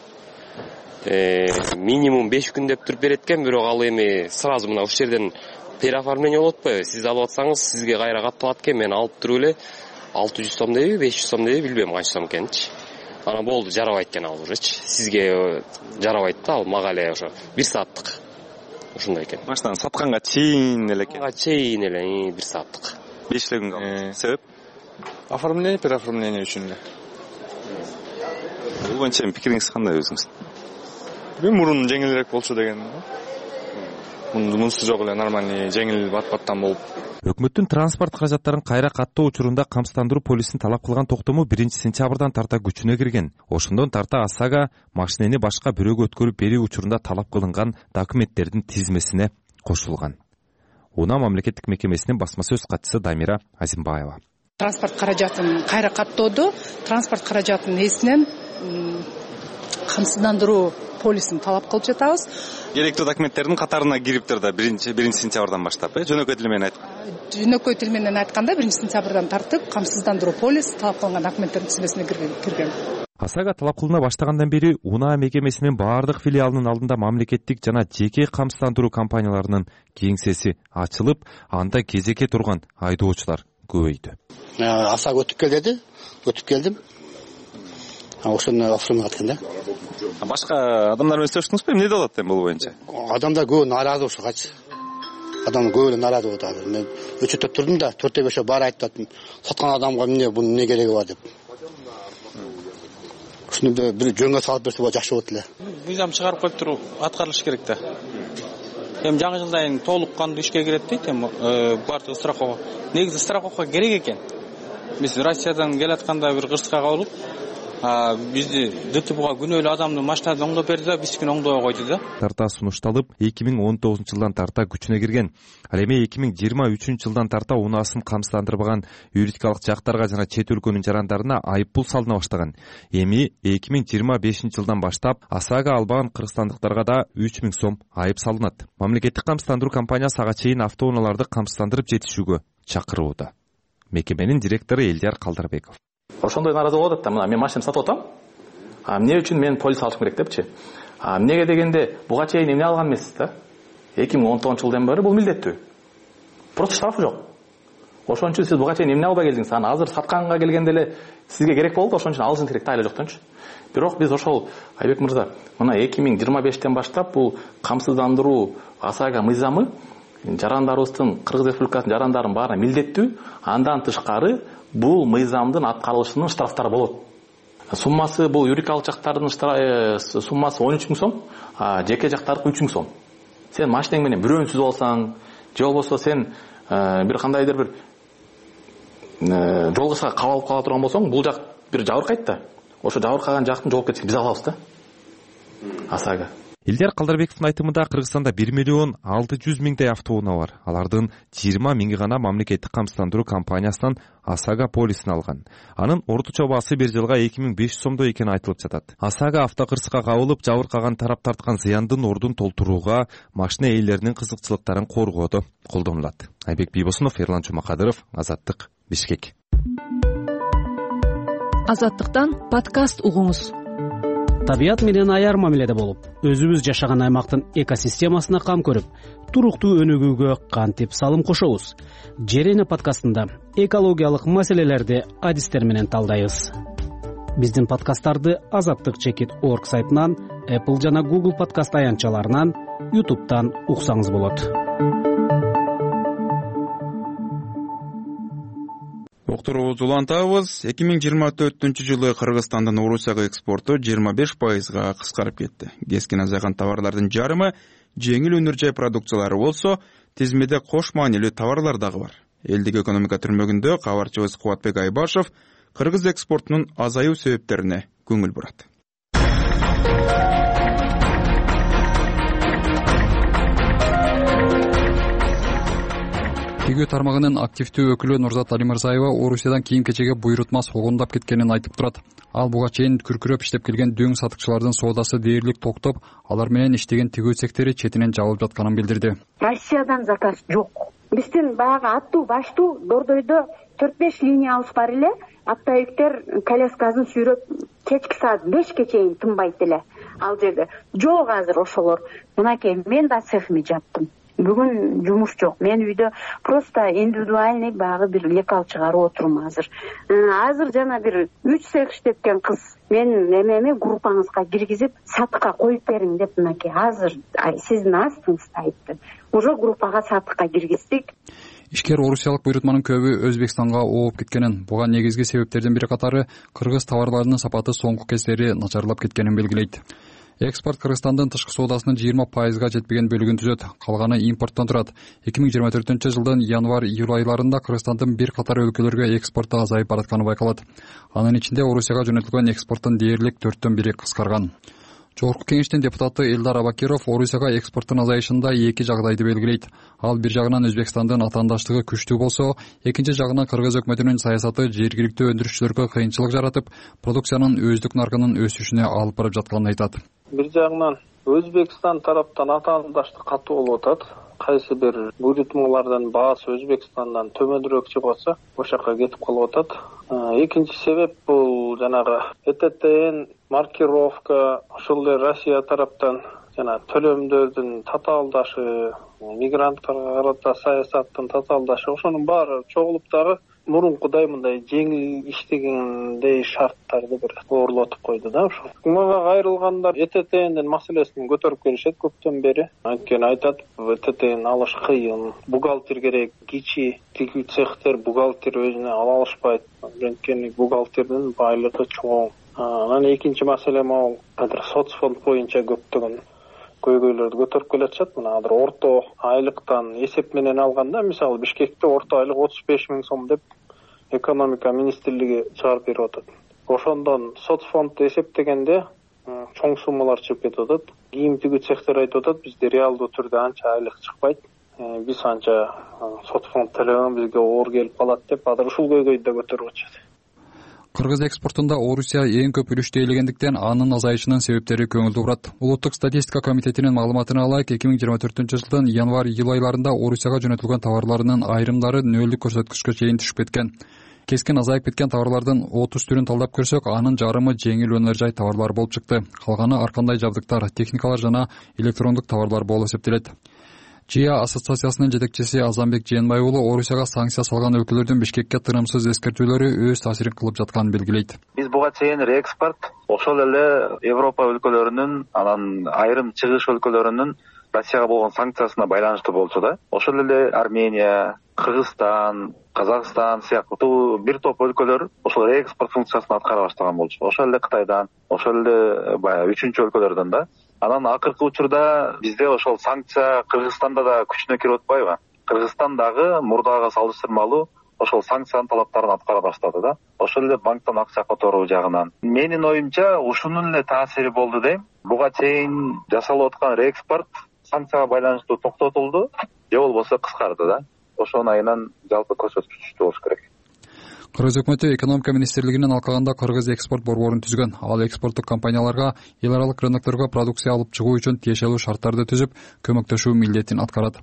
минимум 5 күн деп туруп берет экен, бирок ал эми сразу мына ушул жерден переоформление болот отпойбу? Сиз алып атсаңыз сизге кайра катталат экен, мен алып туруп эле 600 сом дейби, 500 сом дейби, билбейм канча сом экенинчи. Ана болду, жарабайт экен ал ужечи. Сизге жарабайт да, ал мага эле ошо 1 сааттык. Ушундай экен. Машинаны сатканга чейин эле экен. Чейин эле 1 сааттык. 5 күн калды. Себеп? Оформление, переоформление үчүн эле. Бул боюнча пикириңиз кандай өзүңүз? Мен мурун жеңилирээк болчу деген. Мунусу жок эле нормальный жеңил бат-баттан болуп. Өкмөттүн транспорт каражаттарын кайра каттоо учурунда камсыздандыруу полисин талап кылган токтому 1 сентябрдан тарта күчүнө кирген. Ошондон тарта ОСАГО машинени башка бирөөгө өткөрүп берүү учурунда талап кылынган документтердин тизмесине кошулган. Унаа мамлекеттик мекемесинин басма сөз катчысы Дамира Азимбаева. Транспорт каражатын кайра каттоодо транспорт каражатынын эсинен камсыздандыруу полисин талап кылып жатабыз. Керектүү документтердин катарына кириптир да 1 сентябрдан баштап, жөнөкөй тил менен Жөнөкөй тил менен айтканда 1 сентябрдан тартып камсыздандыруу полис талап кылган документтердин тизмесине кирген. ОСАГО талап кылына баштагандан бери унаа мекемесинин баардык филиалынын алдында мамлекеттик жана жеке камсыздандыруу компанияларынын кеңсеси ачылып, анда кезекке турган айдоочулар көбөйдү. ОСАГО өтүп кел деди, өтүп келдим. Ошону оформлап аткан да. Башка адамдар менен сөйлөштүңүзбү? Эмне болот эми бул боюнча? Адамдар көп нааразы ушугачы. Адам көп нааразы болот азыр. Мен өчөтөп турдум да, 4-5 бар айттым. Саткан адамга эмне бунун эмне кереги бар деп. Ушуну бир жөнгө салып берсе болот, жакшы болот эле. Мыйзам чыгарып коюп туруп аткарылыш керек да. Эми жаңы жылдан толук кандуу ишке кирет дейт эми баардыгы страховка. Негизи страховка керек экен. Биз Россиядан келатканда бир кырсыкка кабылып, бизди ДТПга күнөөлүү адамды машинадан оңдоп берди да, биздикин оңдобой койду да. Тарта сунушталып 2019 жылдан тарта күчүнө кирген. Ал эми 2023 жылдан тарта унаасын камсыздандырбаган юридикалык жактарга жана чет өлкөнүн жарандарына айыппул салына баштаган. Эми 2025 жылдан баштап ОСАГО албаган кыргызстандыктарга да 3000 сом айып салынат. Мамлекеттик камсыздандыруу компаниясы ага чейин автоунааларды камсыздандырып жетишүүгө чакырууда. Мекеменин директору Элдияр Калдарбеков. Ошондой нааразы болот да, мына мен машинамды сатып атам. Эмне үчүн мен полис алышым керек депчи. Эмнеге дегенде, буга чейин эмне алган эмессиз да? 2019 жылдан бери бул милдеттүү. Просто штрафы жок. Ошон үчүн сиз буга чейин эмне албай келдиңиз? Аны азыр сатканга келгенде эле сизге керек болду, ошон үчүн алышың керек да, айла жоктончу. Бирок биз ошол Айбек мырза, мына 2025-тен баштап бул камсыздандыруу ОСАГО мыйзамы жарандарыбыздын, Кыргыз Республикасынын жарандарынын баарына милдеттүү. Андан тышкары бул мыйзамдын аткарылышынын штрафтары болот. Суммасы бул юридикалык жактардын суммасы 13 000 сом, жеке жактардыкы 3 000 сом. Сен машинең менен бирөөнү сүзүп алсаң, же болбосо сен бир кандайдыр бир жолгушка кабалып кала турган болсоң, бул жак бир жабыркайт да. Ошо жабыркаган жактын жоопкерчилигин биз алабыз да. ОСАГО. Илдар Калдарбековдун айтымында Кыргызстанда 1 600 000 автоунаа бар. Алардын 20 000 гана мамлекеттик камсыздандыруу компаниясынан ОСАГО полисин алган. Анын орточо баасы бир жылга 2500 сомдой экени айтылып жатат. ОСАГО автокырсыкка кабылып, жабыркаган тарап тарткан зыяндын ордун толтурууга, машина ээлеринин кызыкчылыктарын коргоодо колдонулат. Айбек Бийбосунов, Эрлан Чумакадыров, Азаттык, Бишкек. Азаттыктан подкаст угуңуз. Табият менен аяр мамиледе болуп, өзүбүз жашаган аймактын экосистемасына кам көрүп, туруктуу өнүгүүгө кантип салым кошобуз? Жерене подкастында экологиялык маселелерди адистер менен талдайбыз. Биздин подкасттарды azattik.org сайтынан, Apple жана Google подкаст аянтчаларынан, YouTube'дан уксаңыз болот. Уктуруубузду улантабыз. 2024-жылы Кыргызстандын Орусияга экспорту 25%га кыскарып кетти. Кескин азайган товарлардын жарымы жеңил өнөр жай продукциялары болсо, тизмеде кош маанилүү товарлар дагы бар. Элдик экономика түрмөгүндө кабарчыбыз Кубатбек Айбашев кыргыз экспортунун азаюу себептерине көңүл бурат. Тигүү тармагынын активдүү өкүлү Нурзат Алимырзаева Орусиядан кийим-кечеге буйрутма согундап кеткенин айтып турат. Ал буга чейин күркүрөп иштеп келген дөң сатыкчылардын соодасы дээрлик токтоп, алар менен иштеген тигүү цехтери четинен жабылып жатканын билдирди. Россиядан заказ жок. Биздин баягы аттуу баштуу Дордойдо 4-5 линиябыз бар эле. Аптайыктер коляскасын сүйрөп кечки саат 5ке чейин тынбайт эле. Ал жерде жок азыр ошолор. Мынакей мен да цехиме жаптым. Бүгүн жумуш жок. Мен үйдө просто индивидуальный багы бир лекал чыгарып отурум азыр. Азыр жана бир 3 цех иштеткен кыз мен эмеми группаңызга киргизип сатыкка коюп бериң деп мынакей азыр сиздин астыңызда айтты. Уже группага сатыкка киргиздик. Ишкер орусиялык буйрутманын көбү Өзбекстанга ооп кеткенин, буга негизги себептердин бири катары кыргыз товарларынын сапаты соңку кездери начарлап кеткенин белгилейт. Экспорт Кыргызстандын тышкы соодасынын 20%га жетпеген бөлүгүн түзөт, калганы импорттон турат. 2024-жылдын январь-июль айларында Кыргызстандын бир катар өлкөлөргө экспорту азайып баратканы байкалат. Анын ичинде Орусияга жөнөтүлгөн экспорттун дээрлик 4/1 кыскарган. Жогорку кеңештин депутаты Элдар Абакиров Орусияга экспорттун азайышында эки жагдайды белгилейт. Ал бир жагынан Өзбекстандын атаандаштыгы күчтүү болсо, экинчи жагынан Кыргыз өкмөтүнүн саясаты жергиликтүү өндүрүшчүлөргө кыйынчылык жаратып, продукциянын өздүк наркынын өсүшүнө алып барып жатканын айтат. Бир жагынан Өзбекстан тараптан атаандаштык катуу болуп атат. Кайсы бир буйрутмалардын баасы Өзбекстандан төмөнүрөөк чыгып атса, ошол жака кетип калып атат. Экинчи себеп бул жанагы ЭТТН маркировка, ошол эле Россия тараптан жана төлөмдөрдүн татаалдашы, мигранттарга карата саясаттын татаалдашы, ошонун баары чогулуп дагы мурункудай мындай жеңил иштегендей шарттарды бир оорлотуп койду да. Ошо мага кайрылгандар ЭТТНдин маселесин көтөрүп келишет көптөн бери. Анткени айтат, ЭТТН алыш кыйын, бухгалтер керек, кичи тигүү цехтер бухгалтер өзүнө ала алышпайт. Анткени бухгалтердин байлыгы чоң. Анан экинчи маселе могу азыр соцфонд боюнча көптөгөн көйгөйлөрдү көтөрүп келатышат. Мына азыр орто айлыктан эсеп менен алганда, мисалы Бишкекте орто айлык 35 000 сом деп экономика министрлиги чыгарып берип атат. Ошондон соцфондду эсептегенде чоң суммалар чыгып кетип атат. Кийим тигүү цехтер айтып атат, бизде реалдуу түрдө анча айлык чыкпайт. Биз анча соцфонд төлөгөн бизге оор келип калат деп азыр ушул көйгөйдү да көтөрүп атышат. Кыргыз экспортунда Орусия эң көп үлүштү ээлегендиктен анын азайышынын себептери көңүлдүү турат. Улуттук статистика комитетинин маалыматына ылайык, 2024-жылдын январь-июль айларында Орусияга жөнөтүлгөн товарларынын айрымдары нөлдүк көрсөткүчкө чейин түшүп кеткен. Кескен азайып кеткен товарлардын 30 түрүн талдап көрсөк, анын жарымы жеңил өнөр жай товарлар болуп чыкты. Калганы ар кандай жабдыктар, техникалар жана электрондук товарлар болуп эсептелет. ЖИА ассоциациясынын жетекчиси Азамбек Жээнбай уулу Орусияга санкция салган өлкөлөрдүн Бишкекке тынымсыз эскертүүлөрү өз таасирин кылып жатканын белгилейт. Биз буга чейин реэкспорт ошол эле Европа өлкөлөрүнүн, анан айрым чыгыш өлкөлөрүнүн Россияга болгон санкциясына байланыштуу болчу да. Ошол эле Армения, Кыргызстан, Казакстан сыяктуу бир топ өлкөлөр ошол реэкспорт функциясын аткара баштаган болчу. Ошол эле Кытайдан, ошол эле баягы үчүнчү өлкөлөрдөн да. Анан акыркы учурда бизде ошол санкция Кыргызстанда да күчүнө кирип атпайбы? Кыргызстан дагы мурдага салыштырмалуу ошол санкциянын талаптарын аткара баштады да. Ошол эле банктан акча которуу жагынан. Менин оюмча ушунун эле таасири болду дейм. Буга чейин жасалып аткан реэкспорт санкцияга байланыштуу токтотулду, же болбосо кыскарды да. Ошонун айынан жалпы көрсөткүч болуш керек. Кыргыз өкмөтү экономика министрлигинин алкагында Кыргыз экспорт борборун түзгөн. Ал экспорттук компанияларга эл аралык рынокторго продукция алып чыгуу үчүн тиешелүү шарттарды түзүп, көмөктөшүү милдетин аткарат.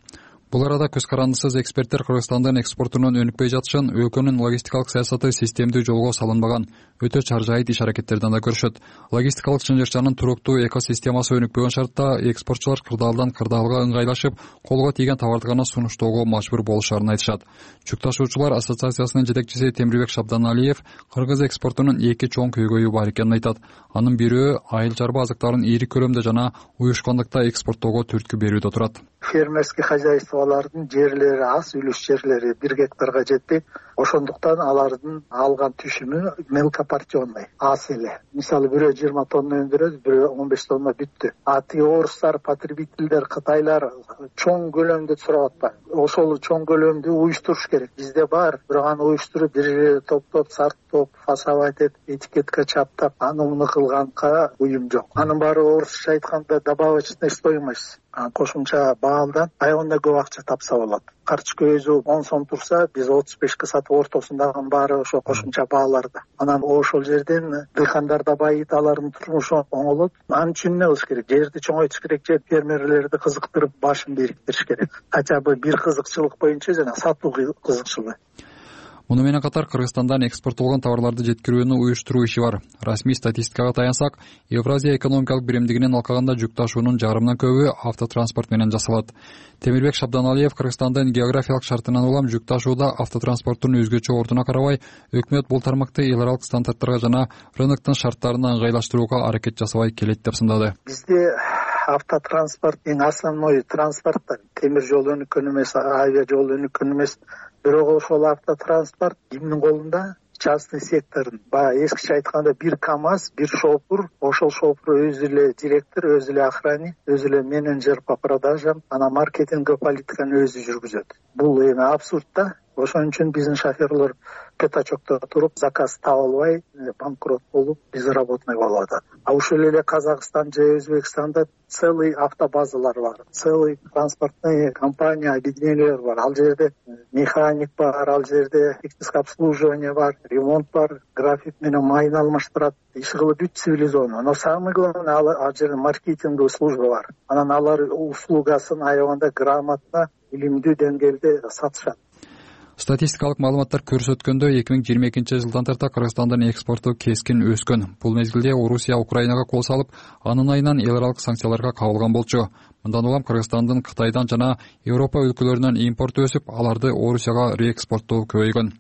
Бул арада көз карандысыз эксперттер Кыргызстандын экспортунун өнүкпөй жатышын, өлкөнүн логистикалык саясаты системдүү жолго салынбаган, өтө чаржайыт иш-аракеттерден да көрүшөт. Логистикалык чынжырчанын туруктуу экосистемасы өнүкпөгөн шартта экспортчулар кырдаалдан кырдаалга ыңгайлашып, колго тийген товарды гана сунуштоого мажбур болушарын айтышат. Жүк ташуучулар ассоциациясынын жетекчиси Темирбек Шабданалиев Кыргыз экспортунун эки чоң көйгөйү бар экенин айтат. Анын бирөө айыл чарба азыктарын ири көлөмдө жана уюшкондукта экспорттоого түрткү берүүдө турат. Фермерский хозяйстволордун жерлери аз, үлүш жерлери 1 гектарга жетпейт. Ошондуктан алардын алган түшүмү мелкопортионный аз эле. Мисалы бирөө 20 тонна өндүрөт, бирөө 15 тонна бүттү. Ати орустар, потребительдер, кытайлар чоң көлөмдө сурап атпайбы? Ошол чоң көлөмдү уюштуруш керек. Бизде бар, бирок аны уюштуруп бир жерге топтоп, сарттоп, фасовать этип, этикетке чаптап, аны муну кылганга уюм жок. Анын баары орусча айтканда добавочная стоимость. Кошумча баалдан айгында көп акча тапса болот. Карточка өзү 10 сом турса, биз 35 сатып ортосундагы баары ошо кошумча бааларда. Анан ошол жерден дыйкандар да байыйт, алардын турмушу оңолот. Анын үчүн эмне кылыш керек? Жерди чоңойтуш керек, же фермерлерди кызыктырып башын бириктириш керек. Хотя бы бир кызыкчылык боюнча жана сатуу кызыкчылыгы. Муну менен катар Кыргызстандан экспорттолгон товарларды жеткирүүнү уюштуруу иши бар. Расмий статистикага таянсак, Евразия экономикалык биримдигинин алкагында жүк ташуунун жарымынан көбү автотранспорт менен жасалат. Темирбек Шабданалиев Кыргызстандын географиялык шартынан улам жүк ташууда автотранспорттун өзгөчө ордуна карабай, өкмөт бул тармакты эл аралык стандарттарга жана рыноктун шарттарына ыңгайлаштырууга аракет жасабай келет деп сындады. Бизде автотранспорт эң основной транспорт, темир жол өнүккөн эмес, авиа жол өнүккөн эмес. Бирок ошол автотранспорт кимдин колунда? Частный сектордун. Баягы эскиче айтканда бир КАМАЗ, бир шофур, ошол шофур өзү эле директор, өзү эле охранник, өзү эле менеджер по продажам, анан маркетинг политиканы өзү жүргүзөт. Бул эми абсурд да. Ошон үчүн биздин шоферлор пятачокто туруп, заказ таба албай, банкрот болуп, безработный болуп атат. А ушул эле Казакстан же Өзбекстанда целый автобазалар бар, целый транспортный компания, объединениялар бар. Ал жерде механик бар, ал жерде техническое обслуживание бар, ремонт бар, график менен майын алмаштырат. Иши кылып бүт цивилизованно. Но самое главное, ал жерде маркетинговый служба бар. Анан алар услугасын аябаганда грамотно, илимдүү деңгээлде сатышат. Статистикалык маалыматтар көрсөткөндөй 2022 жылдан тарта Кыргызстандын экспорту кескин өскөн. Бул мезгилде Орусия Украинага кол салып, анын айынан эл аралык санкцияларга кабылган болчу. Мындан улам Кыргызстандын Кытайдан жана Европа өлкөлөрүнөн импорту өсүп, аларды Орусияга реэкспорттоо көбөйгөн.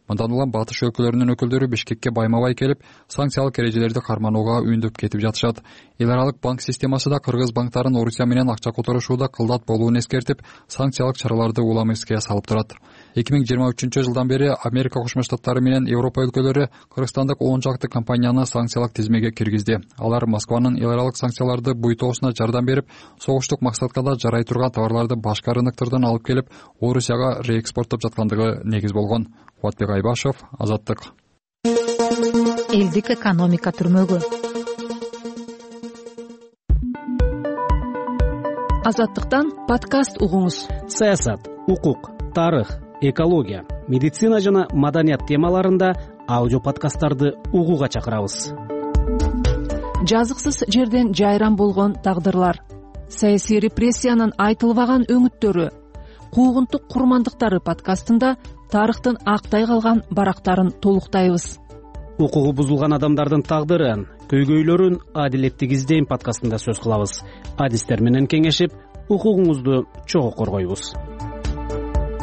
Мындан улам батыш өлкөлөрүнүн өкүлдөрү Бишкекке байма-бай келип, санкциялык эрежелерди карманууга үндөп кетип жатышат. Эл аралык банк системасы да Кыргыз банктарын Орусия менен акча которушууда кылдат болуун эскертип, санкциялык чараларды улам эске салып турат. 2023 жылдан бери Америка Кошмо Штаттары менен Европа өлкөлөрү Кыргызстандык 10 жакты компанияны санкциялык тизмеге киргизди. Алар Москванын эл аралык санкцияларды буйтоосуна жардам берип, согуштук максатка да жарай турган товарларды башка рыноктордон алып келип, Орусияга реэкспорттоп жаткандыгы негиз болгон. Кубатбек Айбашев, Азаттык. Элдик экономика түрмөгү. Азаттыктан подкаст угуңуз. Саясат, укук, тарых, экология, медицина жана маданият темаларында аудио подкасттарды угууга чакырабыз. Жазыксыз жерден жайран болгон тагдырлар, саясий репрессиянын айтылбаган өңүттөрү, куугунтук курмандыктары подкастында тарыхтын актай калган барактарын толуктайбыз. Укугу бузулган адамдардын тагдырын, көйгөйлөрүн адилеттик издейм подкастында сөз кылабыз. Адистер менен кеңешип, укугуңузду чогуу коргойбуз.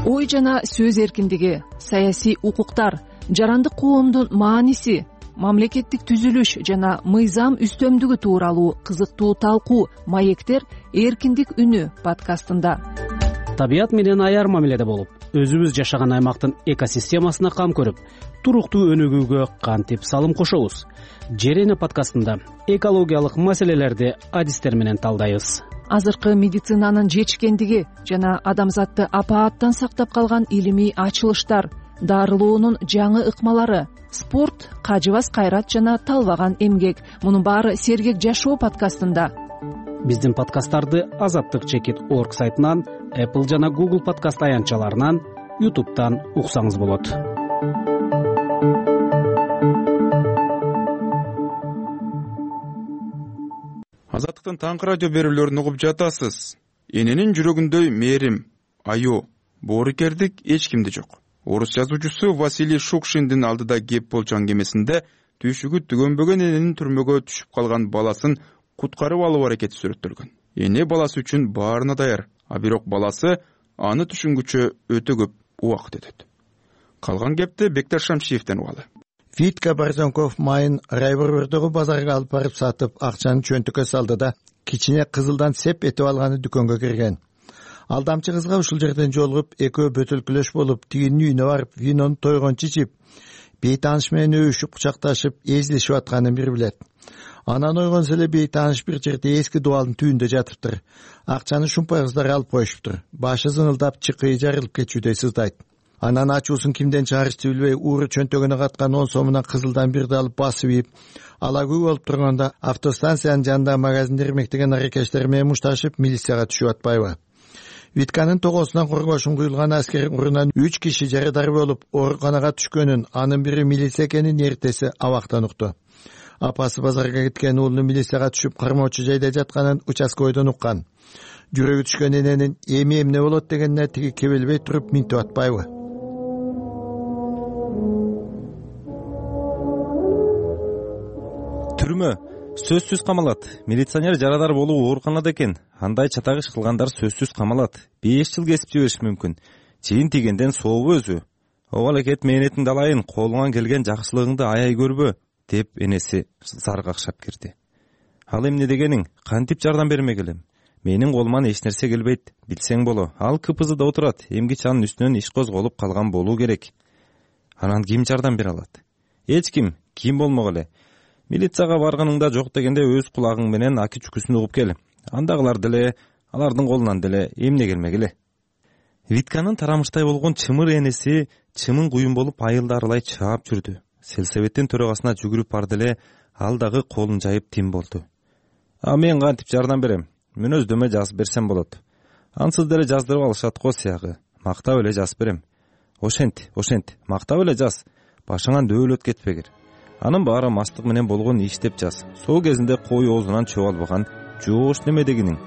Ой жана сөз эркиндиги, саясий укуктар, жарандык коомдун мааниси, мамлекеттик түзүлүш жана мыйзам үстөмдүгү тууралуу кызыктуу талкуу «Маектер эркиндик үнү» подкастында. Табият менен аяр мамиледе болуп, өзүбүз жашаган аймактын экосистемасына кам көрүп, туруктуу өнүгүүгө кантип салым кошобуз? Жер эне подкастында экологиялык маселелерди адистер менен талдайбыз. Азыркы медицинанын жетишкендиги жана адамзатты апааттан сактап калган илимий ачылыштар, дарылоонун жаңы ыкмалары, спорт, кажыбас кайрат жана талбаган эмгек. Мунун баары Сергек жашоо подкастында. Биздин подкасттарды azattik.org сайтынан, Apple жана Google подкаст аянтчаларынан, YouTube'дан уксаңыз болот. Азаттыктын таңкы радио берүүлөрүн угуп жатасыз. Эненин жүрөгүндөй мээрим, аю, боорукердик эч кимде жок. Орус жазуучусу Василий Шукшиндин алдыда кеп болчу аңгемесинде түйшүгү түгөнбөгөн эненин түрмөгө түшүп калган баласын куткарып алуу аракети сүрөттөлгөн. Эне баласы үчүн баарына даяр, а бирок баласы аны түшүнгүчө өтө көп убакыт өтөт. Калган кепти Бекташ Шамшиевден угалы. Витка Борзенков майын Райборбордогу базарга алып барып сатып, акчаны чөнтүккө салды да кичине кызылдан сеп этип алганы дүкөнгө кирген. Алдамчы кызга ушул жерден жолугуп, экөө бөтөлкүлөш болуп, тигинин үйүнө барып, винону тойгончу ичип, бейтааныш менен өбүшүп, кучакташып, эзилишип атканын бир билет. Анан ойгонсо эле бейтааныш бир жерде эски дубалдын түбүндө жатыптыр. Акчаны шумпай кыздар алып коюшуптур. Башы зыңылдап, чыкыйы жарылып кетчүдөй сыздайт. Анан ачуусун кимден чыгарышты билбей, ууру чөнтөгүнө каткан 10 сомунан кызылдан бирди алып басып ийип, алагүй болуп турганда автостанциянын жанындагы магазинде ирмектеген аракештер менен мушташып, милицияга түшүп атпайбы? Витканын тогосунан коргошун куюлган аскер урунан 3 киши жарадар болуп, ооруканага түшкөнүн, анын бири милиция экенин эртеси абактан укту. Апасы базарга кеткен уулунун милицияга түшүп кармоочу жайда жатканын участкойдон уккан. Жүрөгү түшкөн эненин эми эмне болот дегенине тиги кебелбей туруп минтип атпайбы? Түрмө сөзсүз камалат. Милиционер жарадар болуу ооруканада экен. Андай чатак иш кылгандар сөзсүз камалат. 5 жыл кесип жибериши мүмкүн. Чейин тигенден сообу өзү. Обал экет мээнетиңди алайын, колуңан келген жакшылыгыңды аяй көрбө, деп энеси зар какшап кирди. Ал эмне дегениң? Кантип жардам бермек элем? Менин колуман эч нерсе келбейт, билсең боло. Ал КПЗда отурат. Эмгичи анын үстүнөн иш козголуп калган болуу керек. Анан ким жардам бере алат? Эч ким. Ким болмок эле? Милицияга барганыңда жок дегенде өз кулагың менен аки чүкүсүн угуп кел. Андагылар деле, алардын колунан деле эмне келмек эле? Витканын тарамыштай болгон чымыр энеси чымын куюн болуп айылдарылай чаап жүрдү. Сельсоветтин төрагасына жүгүрүп барды эле, ал дагы колун жайып тим болду. А мен кантип жардам берем? Мүнөздөмө жазып берсем болот. Ансыз деле жаздырып алышат го сыягы. Мактап эле жазып берем. Ошент, мактап эле жаз. Башыңан дөөлөт кетпегир. Анын баары мастык менен болгон иш деп жаз. Сол кезинде кой оозунан чөп албаган жоош неме дегениң.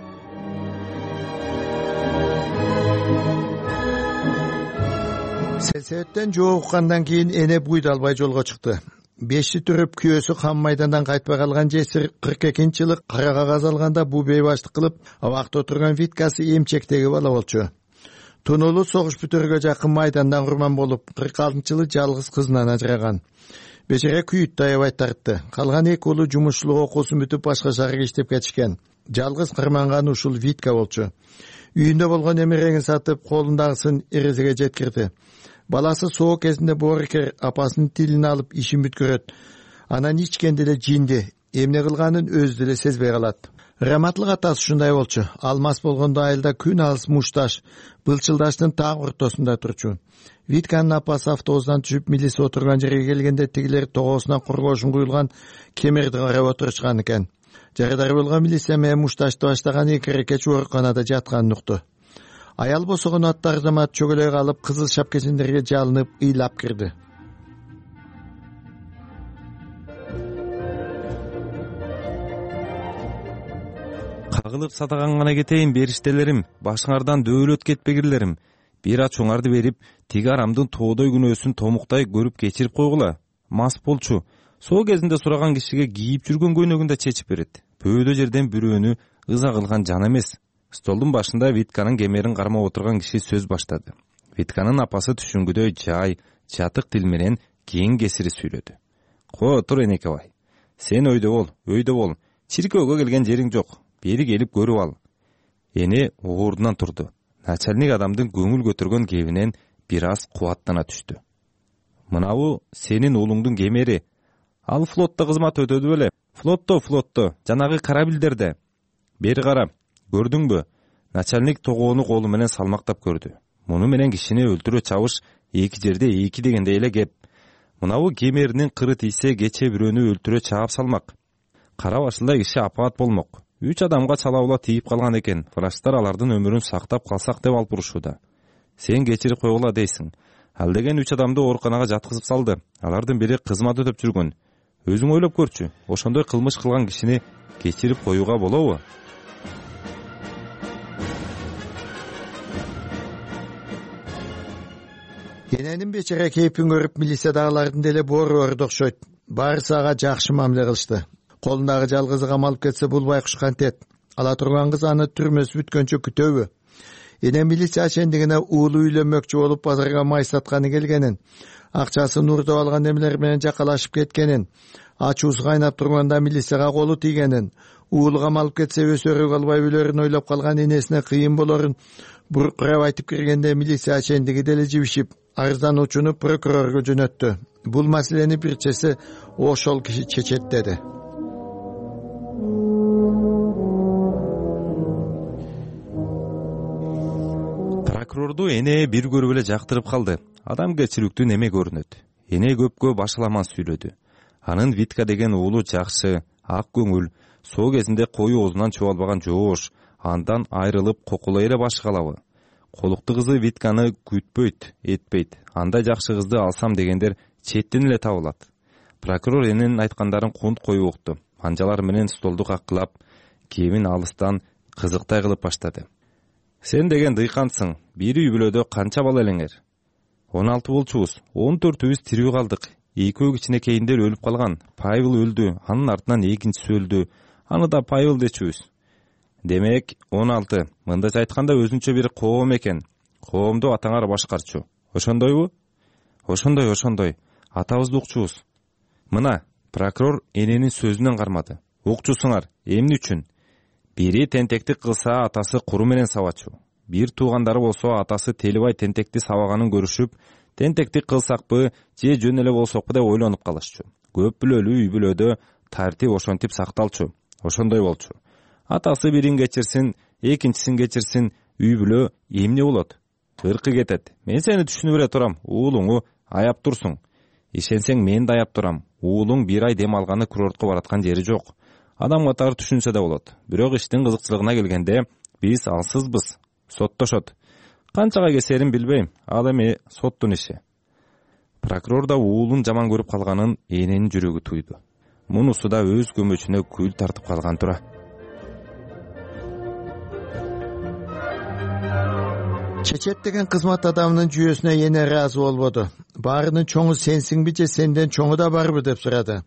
Сельсоветтен жооп уккандан кийин эне буйду албай жолго чыкты. Бешти түрүп күйөөсү кам майдандан кайтпай калган жесир 42-жылы кара кагаз алганда бу бейбаштык кылып, абакта отурган Виткасы эмчектеги бала болчу. Тунулу согуш бүтөргө жакын майдандан курман болуп, 46-жылы жалгыз кызынан ажыраган. Бечере күйүттү аябай тартты. Калган эки уулу жумушчулук окуусун бүтүп башка шаарга иштеп кетишкен. Жалгыз кырманган ушул Витка болчу. Үйүндө болгон эмереңин сатып, колундагысын эрезеге жеткирди. Баласы соо кезинде боорукер, апасынын тилин алып ишин бүткөрөт. Анан ичкенде эле жинди, эмне кылганын өзү деле сезбей калат. Раматлык атасы ушундай болчу. Алмаз болгондо айылда күн алыс мушташ, былчылдаштын так ортосунда турчу. Витканын апасы автобустан түшүп милиция отурган жерге келгенде тигилер тогосунан коргошун куюлган кемерди карап отурушкан экен. Жарадар болгон милиция менен мушташты баштаган эки эркек ооруканада жатканын укту. Аял босогон аттар замат чөгөлөй калып, кызыл шапкесиндерге жалынып, ыйлап кирди. Кагылып садаган гана кетейин бериштелерим, башыңардан дөөлөт кетпегирлерим. Бир ачууңарды берип, тиги арамдын тоодой күнөөсүн томуктай көрүп кечирип койгула. Мас болчу. Соо кезинде сураган кишиге кийип жүргөн көйнөгүн да чечип берет. Бөөдө жерден бирөөнү ыза кылган жан эмес. Столдун башында Витканын кемерин кармап отурган киши сөз баштады. Витканын апасы түшүнгүдөй жай, жатык тил менен кең кесири сүйлөдү. Тур энеке бай. Сен өйдө бол. Чиркөөгө келген жериң жок. Бери келип көрүп ал. Эне ордунан турду. Начальник адамдын көңүл көтөргөн кебинен бир аз кубаттана түштү. Мынабу сенин уулуңдун кемери. Ал флотто кызмат өтөдү беле? Флотто, жанагы корабльдерде. Бери кара, көрдүңбү? Начальник тогоону колу менен салмактап көрдү. Муну менен кишини өлтүрө чабыш эки жерде эки дегендей эле кеп. Мынабу кемеринин кыры тийсе кече бирөөнү өлтүрө чаап салмак. Кара башылдай киши апаат болмок. 3 адамга чалаула тийип калган экен. Врачтар алардын өмүрүн сактап калсак деп алып урушууда. Сен кечирип койгула дейсиң. Ал деген 3 адамды ооруканага жаткызып салды. Алардын бири кызмат өтөп жүргөн. Өзүң ойлоп көрчү. Ошондой кылмыш кылган кишини кечирип коюуга болобу? Эненин бечара кейпин көрүп милициядагылардын деле боору окшойт. Баарысы ага жакшы мамиле кылышты. Колундагы жалгызы камалып кетсе бул байкуш кантет. Ала турган кыз аны түрмөсү бүткөнчө күтөбү? Эне милиция чендигине уулу үйлөнмөкчү болуп базарга май сатканы келгенин, акчасын уурдап алган эмелер менен жакалашып кеткенин, ачуусу кайнап турганда милицияга колу тийгенин, уулу камалып кетсе өсөрүп калбай өлөрүн ойлоп калган энесине кыйын болорун буркурап айтып киргенде милиция чендиги деле жибишип, арыздануучуну прокурорго жөнөттү. Бул маселени бир чеси ошол киши чечет деди. Прокурорду эне бир көрүп эле жактырып калды. Адамгерчиликтүү неме көрүнөт. Эне көпкө башаламан сүйлөдү. Анын Витка деген уулу жакшы, ак көңүл, соо кезинде кою оозунан чубалбаган жоош, андан айрылып кокулай эле башы калабы. Колукту кызы Витканы күтпөйт, этпейт. Андай жакшы кызды алсам дегендер четтен эле табылат. Прокурор эненин айткандарын кунт коюп укту. Анжалар менен столду каккылап, кебин алыстан кызыктай кылып баштады. Сен деген дыйкансың, бир үй бүлөдө канча бала элеңер? 16 болчубуз, 14үбүз тирүү калдык. Экөө кичинекейиндер өлүп калган. Павел өлдү, анын артынан экинчиси өлдү. Аны да Павел дечүбүз. Демек 16. Мындайча айтканда өзүнчө бир коом экен. Коомду атаңар башкарчу. Ошондойбу? Ошондой. Атабызды укчубуз. Мына, прокурор эненин сөзүнөн кармады. Укчусуңар, эмне үчүн? Бири тентектик кылса атасы куру менен сабачу. Бир туугандары болсо атасы Телибай тентекти сабаганын көрүшүп, тентектик кылсакпы же жөн эле болсокпу деп ойлонуп калышчу. Көп бүлөлүү үй бүлөдө тартип ошентип сакталчу. Ошондой болчу. Атасы бирин кечирсин, экинчисин кечирсин, үй бүлө эмне болот? Ыркы кетет. Мен сени түшүнүп эле турам. Уулуңу аяп турсуң. Ишенсең мен да аяп турам. Уулуң бир ай дем алганы курортко бараткан жери жок. Адам катары түшүнсө да болот. Бирок иштин кызыкчылыгына келгенде биз алсызбыз. Соттошот. Канчага кесерин билбейм. Ал эми соттун иши. Прокурор да уулун жаман көрүп калганын эненин жүрөгү туйду. Мунусу да өз көмөчүнө күл тартып калган тура. Чечет деген кызмат адамынын жүйөсүнө эне ыраазы болбоду. Баарынын чоңу сенсиңби же сенден чоңу да барбы деп сурады.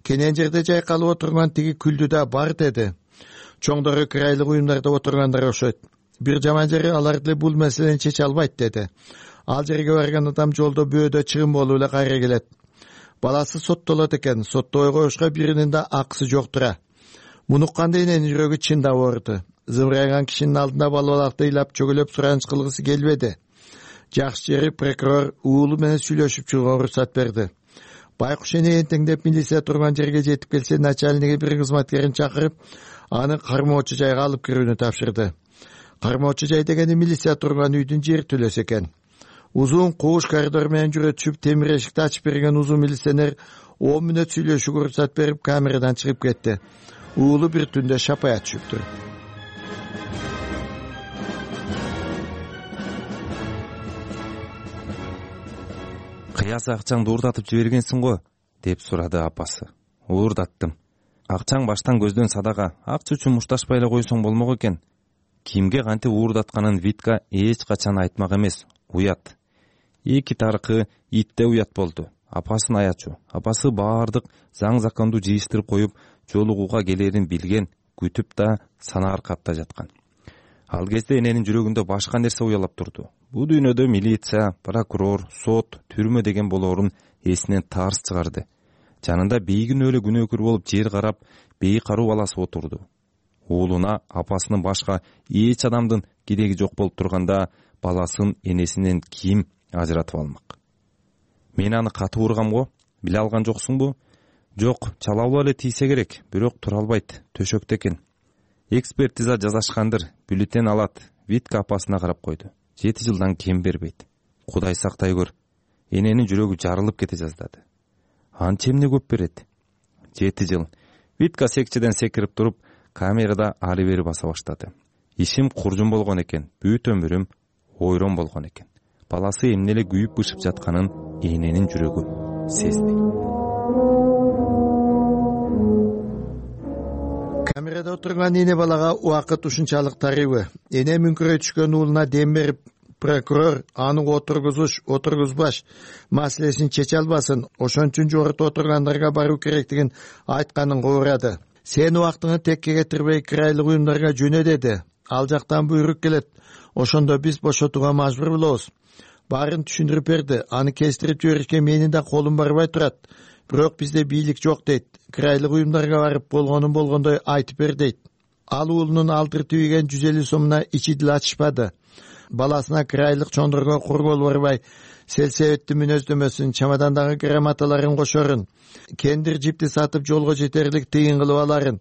Кенен жерде жайкалып отурган тиги күлдү да бар деди. Чоңдору кырайлык уюмдарда отургандар окшойт. Бир жаман жери алар деле бул маселени чече албайт деди. Ал жерге барган адам жолдо бөөдө чыгым болуп эле кайра келет. Баласы соттолот экен. Соттобой коюшка биринин да акысы жок тура. Муну укканда эненин жүрөгү чындап ооруду. Зымырайган кишинин алдында балбалакты ыйлап чөгөлөп сураныч кылгысы келбеди. Жакшы жери прокурор уулу менен сүйлөшүп чыгууга уруксат берди. Байкуш эне энтеңдеп милиция турган жерге жетип келсе, начальниги бир кызматкерин чакырып, аны кармоочу жайга алып кирүүнү тапшырды. Кармоочу жай дегени милиция турган үйдүн жер түлөсү экен. Узун кууш коридор менен жүрө түшүп, темир эшикти ачып берген узун милиционер 10 мүнөт сүйлөшүүгө уруксат берип, камерадан чыгып кетти. Уулу бир түндө шапая түшүптүр. Кыяз акчаңды уурдатып жибергенсиң го, деп сурады апасы. Уурдаттым. Акчаң баштан көздөн садака, акча үчүн мушташпай эле койсоң болмок экен. Кимге кантип уурдатканын Витка эч качан айтмак эмес, уят. Эки таркы итте уят болду. Апасын аячу. Апасы баардык заң законду жыйыштырып коюп, жолугууга келерин билген, күтүп да санаар катта жаткан. Ал кезде эненин жүрөгүндө башка нерсе уялап турду. Бул дүйнөдө милиция, прокурор, сот, түрмө деген болоорун эсинен тарс чыгарды. Жанында бейгүнөө эле күнөөкөр болуп жер карап, бейкаруу баласы отурду. Уулуна апасынын башка эч адамдын кереги жок болуп турганда баласын энесинен ким ажыратып алмак? Мен аны катуу ургам го, биле алган жоксуңбу? Жок, чалалуу эле тийсе керек, бирок тура албайт, төшөктө экен. Экспертиза жасашкандыр, бюллетень алат. Витка апасына карап койду. 7 жылдан кем бербейт. Кудай сактай көр. Эненин жүрөгү жарылып кете жаздады. Анча эмне көп берет? 7 жыл. Витка секчеден секирип туруп, камерада ары бери баса баштады. Ишим куржун болгон экен, бүт өмүрүм ойрон болгон экен. Баласы эмне эле күйүп бышып жатканын эненин жүрөгү сезди. Камерада отурган эне балага убакыт ушунчалык тарыйбы? Эне мүңкүрөй түшкөн уулуна дем берип, прокурор аны отургузуш, отургузбаш маселесин чече албасын, ошон үчүн жогоруда отургандарга баруу керектигин айтканын куурады. Сен убактыңы текке кетирбей кырайлык уюмдарга жөнө деди. Ал жактан буйрук келет. Ошондо биз бошотууга мажбур болобуз. Баарын түшүндүрүп берди. Аны кестирип жиберишке менин да колум барбай турат. Бирок бизде бийлик жок дейт. Кырайлык уюмдарга барып болгонун болгондой айтып бер дейт. Ал уулунун алдыр тийген 150 сомуна ичи дил ачышпады. Баласына кырайлык чондурго кургол барбай, селсебеттин мүнөздөмөсүн, чамадандагы грамоталарын кошорун, кендир жипти сатып жолго жетерлик тыйын кылып аларын,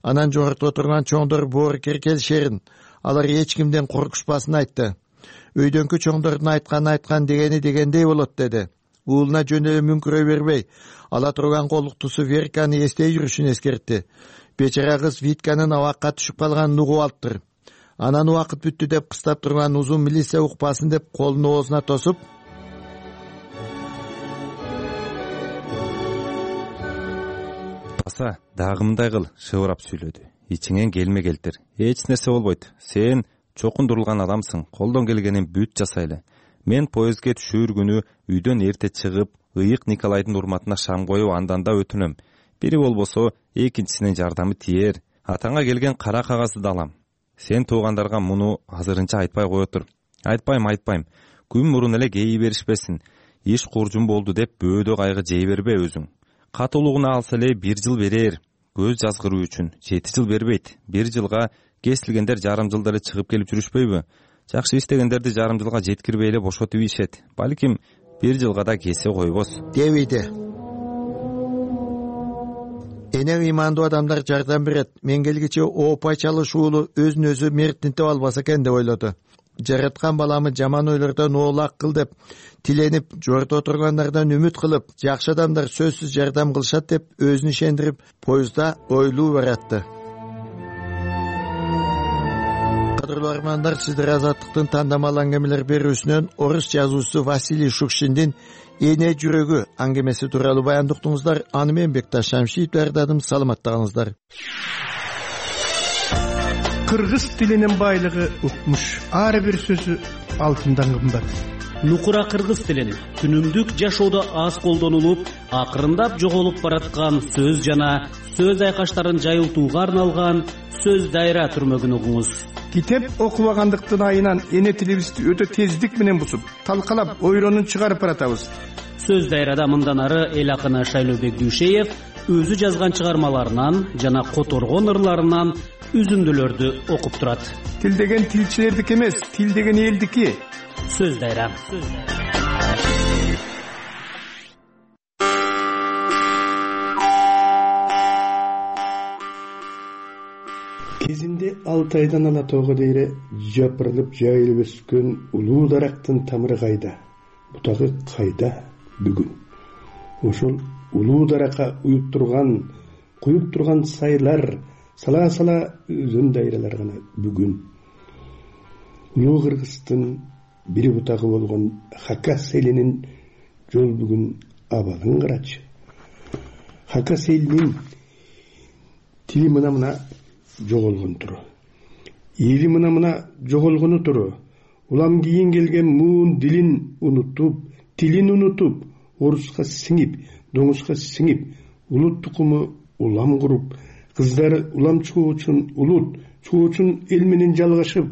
анан жогоруда отурган чоңдор боорукер келишерин, алар эч кимден коркушпасын айтты. Өйдөнкү чоңдордун айткан дегендей болот деди. Уулуна жөн эле мүңкүрөй бербей, ала турган колуктусу Верканы эстей жүрүшүн эскертти. Бечара кыз Витканын абакка түшүп калганын угуп алыптыр. Анан убакыт бүттү деп кыстап турган узун милиция укпасын деп колун оозуна тосуп, баса дагы мындай кыл, шыбырап сүйлөдү. Ичиңен келме келтир. Эч нерсе болбойт. Сен чокундурулган адамсың. Колдон келгенин бүт жасайлы. Мен поездге түшүүр күнү үйдөн эрте чыгып, ыйык Николайдын урматына шам коюп андан да өтүнөм. Бири болбосо экинчисинин жардамы тиер. Атаңа келген кара кагазды да алам. Сен туугандарга муну азырынча айтпай кое тур. Айтпайм. Күн мурун эле кейи беришпесин. Иш куржун болду деп бөөдө кайгы жей бербе өзүң. Катуулугуна алса эле 1 жыл берер. Көз жазгыруу үчүн 7 жыл бербейт. 1 жылга кесилгендер жарым жылда эле чыгып келип жүрүшпөйбү? Жакшы иштегендерди жарым жылга жеткирбей эле бошотуп ийишет. Балким 1 жылга да кесе койбос. Дебейди. Эне ыймандуу адамдар жардам берет. Мен келгиче оопай чалыш уулу өзүн өзү мерттинтип албаса экен деп ойлоду. Жараткан баламы жаман ойлордон оолак кыл деп тиленип, жордо отургандардан үмүт кылып, жакшы адамдар сөзсүз жардам кылышат деп өзүн ишендирип, поездда ойлуу баратты. Кадырлуу армандар, сиздер Азаттыктын тандамал аңгемелер берүүсүнөн орус жазуучусу Василий Шукшиндин Эне жүрөгү аңгемеси тууралуу баяндуктуңуздар. Аны мен Бекташ Шамшиев даярдадым. Саламаттыгыңыздар. Кыргыз тилинин байлыгы укмуш. Ар бир сөзү алтындан кымбат. Нукура кыргыз тилин күнүмдүк жашоодо аз колдонулуп, акырындап жоголуп бараткан сөз жана сөз айкаштарын жайылтууга арналган сөз дайра түрмөгүн угуңуз. Китеп окубагандыктын айынан эне тилибизди өтө тездик менен бусуп, талкалап, ойронун чыгарып баратабыз. Сөз дайрада мындан ары эл акыны Шайлообек Дүйшеев өзү жазган чыгармаларынан жана которгон ырларынан үзүндүлөрдү окуп турат. Тил деген тилчилердики эмес, тил деген элдики. Сөз дайра. Кезинде Алтайдан ала тоого дейре жапырылып жайылып өскөн улуу дарактын тамыры кайда, бутагы кайда бүгүн? Ошол улуу даракка куюп турган сайлар, сала өзөн дайралар гана бүгүн. Улуу Кыргыздын бир бутагы болгон Хакас элинин жол бүгүн абалын карачы. Хакас элинин тили мына жоголгон туру. Эли мына жоголгону туру. Улам кийин келген муун дилин унутуп, тилин унутуп, оруска сиңип, доңузга сиңип, улут тукуму улам куруп, кыздары улам чыгуу үчүн улут, чыгуу үчүн эл менен жалгашып,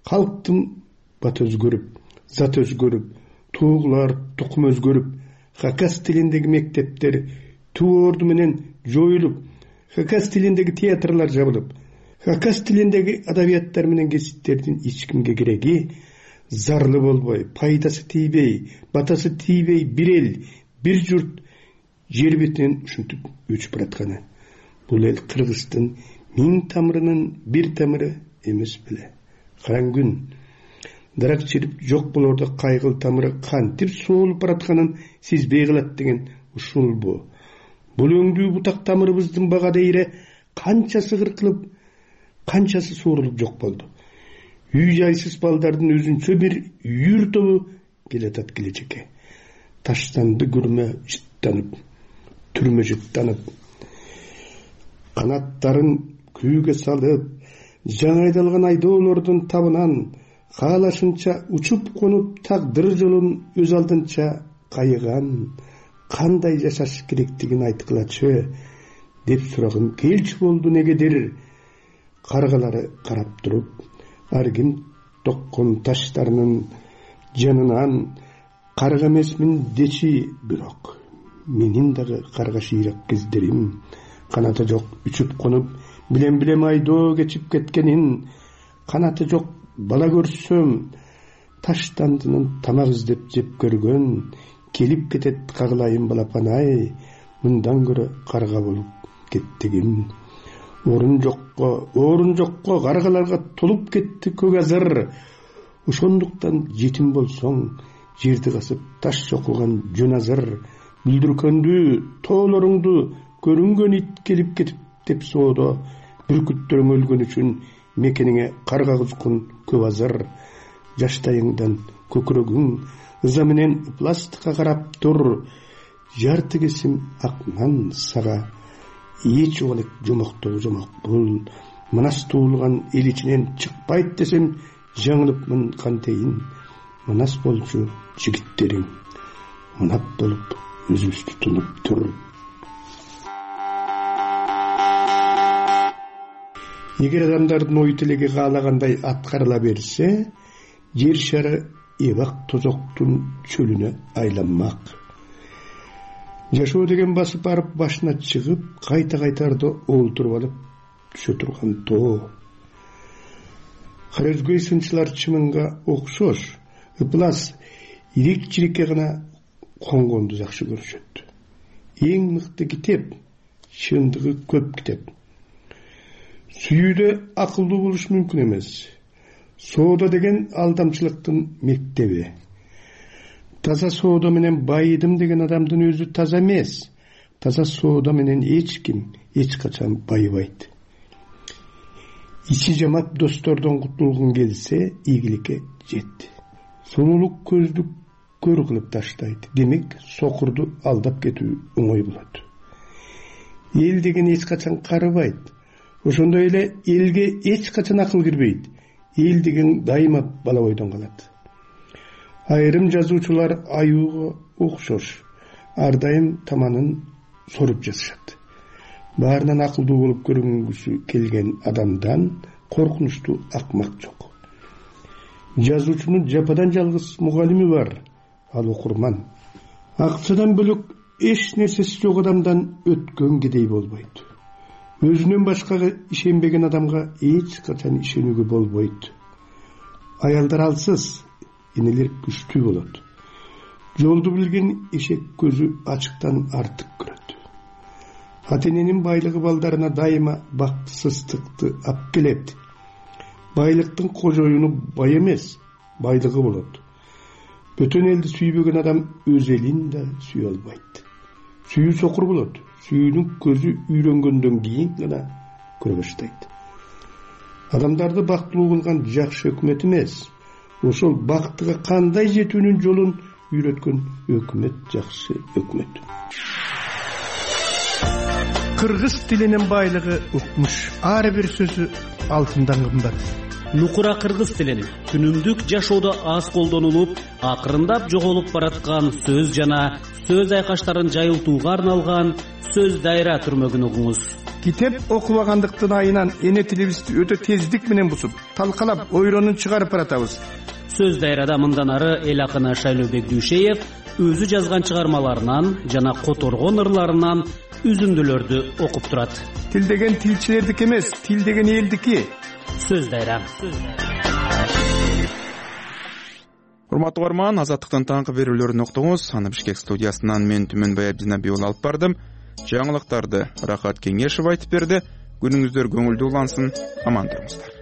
Калктын баты өзгөрүп, зат өзгөрүп, туугулар, тукум өзгөрүп, хакас тилиндеги мектептер туу орду менен жоюлуп, хакас тилиндеги театрлар жабылып, хакас тилиндеги адабияттар менен кесиптердин эч кимге кереги, зарлы болбой, пайдасы тийбей, батасы тийбей бир эл, бир журт жер бетинен ушинтип өчүп баратканы. Бул эл Кыргыздын 1000 тамырынын бир тамыры эмес беле. Караң күн дарак чирип жок болордо кайгыл тамыры кантип соолуп баратканын сезбей калат деген ушулбу. Бул өңдүү бутак тамырыбыздын бага дейре канчасы кыркылып, канчасы суурулуп жок болду. Үй жайсыз балдардын өзүнчө бир үйүр тобу келатат келечекке. Таштанды күрмө жыттанып, түрмө жыттанып, канаттарын күүгө салып, жаңы айдалган айдоолордун табынан каалашынча учуп конуп тагдыр жолун өз алдынча кайыган, кандай жашаш керектигин айткылачы деп сурагым келчү болду негедир. Каргалары карап туруп, ар ким токкон таштарынын жанынан карга эмесмин дечи, бирок менин дагы карга шыйрак кездерим, канаты жок үчүп конуп, билем айдоо кечип кеткенин, канаты жок бала көрсөм, таштандынын тамак издеп жеп көргөн, келип кетет кагылайын балапан-ай, мындан көрө карга болуп кеттигим. Орун жокко каргаларга толуп кетти көк азыр. Ошондуктан жетим болсоң, жерди касып таш чокулган жөн азыр. Бүлдүркөндү, тоолоруңду көрүнгөн ит келип кетип деп соодо, бүркүттөрүң өлгөн үчүн мекениңе карга кузгун көп азыр. Жаштайыңдан көкүрөгүң ыза менен пластикка карап тур, жарты кесим ак нан сага эч убалык жомоктогу жомок бул. Манас туулган эл ичинен чыкпайт десем жаңылыпмын кантейин. Манас болчу жигиттериң мынап болуп өзүбүздү тунуп тур. Эгер адамдардын ой тилеги каалагандай аткарыла берсе, жер шары эбак тозоктун чөлүнө айланмак. Жашоо деген басып барып башына чыгып, кайта-кайтарда олтуруп алып түшө турган тоо. Кара өзгөй сынчылар чымынга окшош, ыплас, ирик-чирикке гана конгонду жакшы көрүшөт. Эң мыкты китеп, чындыгы көп китеп. Сүйүүдө акылдуу болуш мүмкүн эмес. Соода деген алдамчылыктын мектеби. Таза соода менен байыдым деген адамдын өзү таза эмес. Таза соода менен эч ким эч качан байыбайт. Ичи жамап достордон кутулгун келсе, ийгиликке жет. Сулуулук көздү көр кылып таштайт. Демек, сокурду алдап кетүү оңой болот. Эл деген эч качан карыбайт. Ошондой эле элге эч качан акыл кирбейт. Эл деген дайыма бала бойдон калат. Айрым жазуучулар аюуга окшош, ар дайым таманын соруп жазышат. Баарынан акылдуу болуп көрүнгүсү келген адамдан коркунучтуу акмак жок. Жазуучунун жападан жалгыз мугалими бар, ал окурман. Акчадан бөлөк эч нерсеси жок адамдан өткөн кедей болбойт. Өзүнөн башкага ишенбеген адамга эч качан ишенүүгө болбойт. Аялдар алсыз, энелер күчтүү болот. Жолду билген эшек көзү ачыктан артык көрөт. Ата-эненин байлыгы балдарына дайыма бактысыздыкты алып келет. Байлыктын кожоюну бай эмес, байлыгы болот. Бөтөн элди сүйбөгөн адам өз элин да сүйө албайт. Сүйүү сокур болот. Сүйүүнүн көзү үйрөнгөндөн кийин гана көрө баштайт. Адамдарды бактылуу кылган жакшы өкмөт эмес, ошол бактыга кандай жетүүнүн жолун үйрөткөн өкмөт жакшы өкмөт. Кыргыз тилинин байлыгы укмуш. Ар бир сөзү алтындан кымбат. нукура кыргыз тилин күнүмдүк жашоодо аз колдонулуп, акырындап жоголуп бараткан сөз жана сөз айкаштарын жайылтууга арналган сөз дайра түрмөгүн угуңуз. Китеп окубагандыктын айынан эне тилибизди өтө тездик менен бусуп, талкалап, ойронун чыгарып баратабыз. Сөз дайрада мындан ары эл акыны Шайлообек Дүйшеев өзү жазган чыгармаларынан жана которгон ырларынан үзүндүлөрдү окуп турат. Тил деген тилчилердики эмес, тил деген элдики. Сөз дайра. Урматтуу угарман, Азаттыктын таңкы берүүлөрүн уктуңуз. Аны Бишкек студиясынан мен Түмөнбай Абдинабий уулу алып бардым. Жаңылыктарды Рахат Кеңешев айтып берди. Күнүңүздөр көңүлдүү улансын. Аман туруңуздар.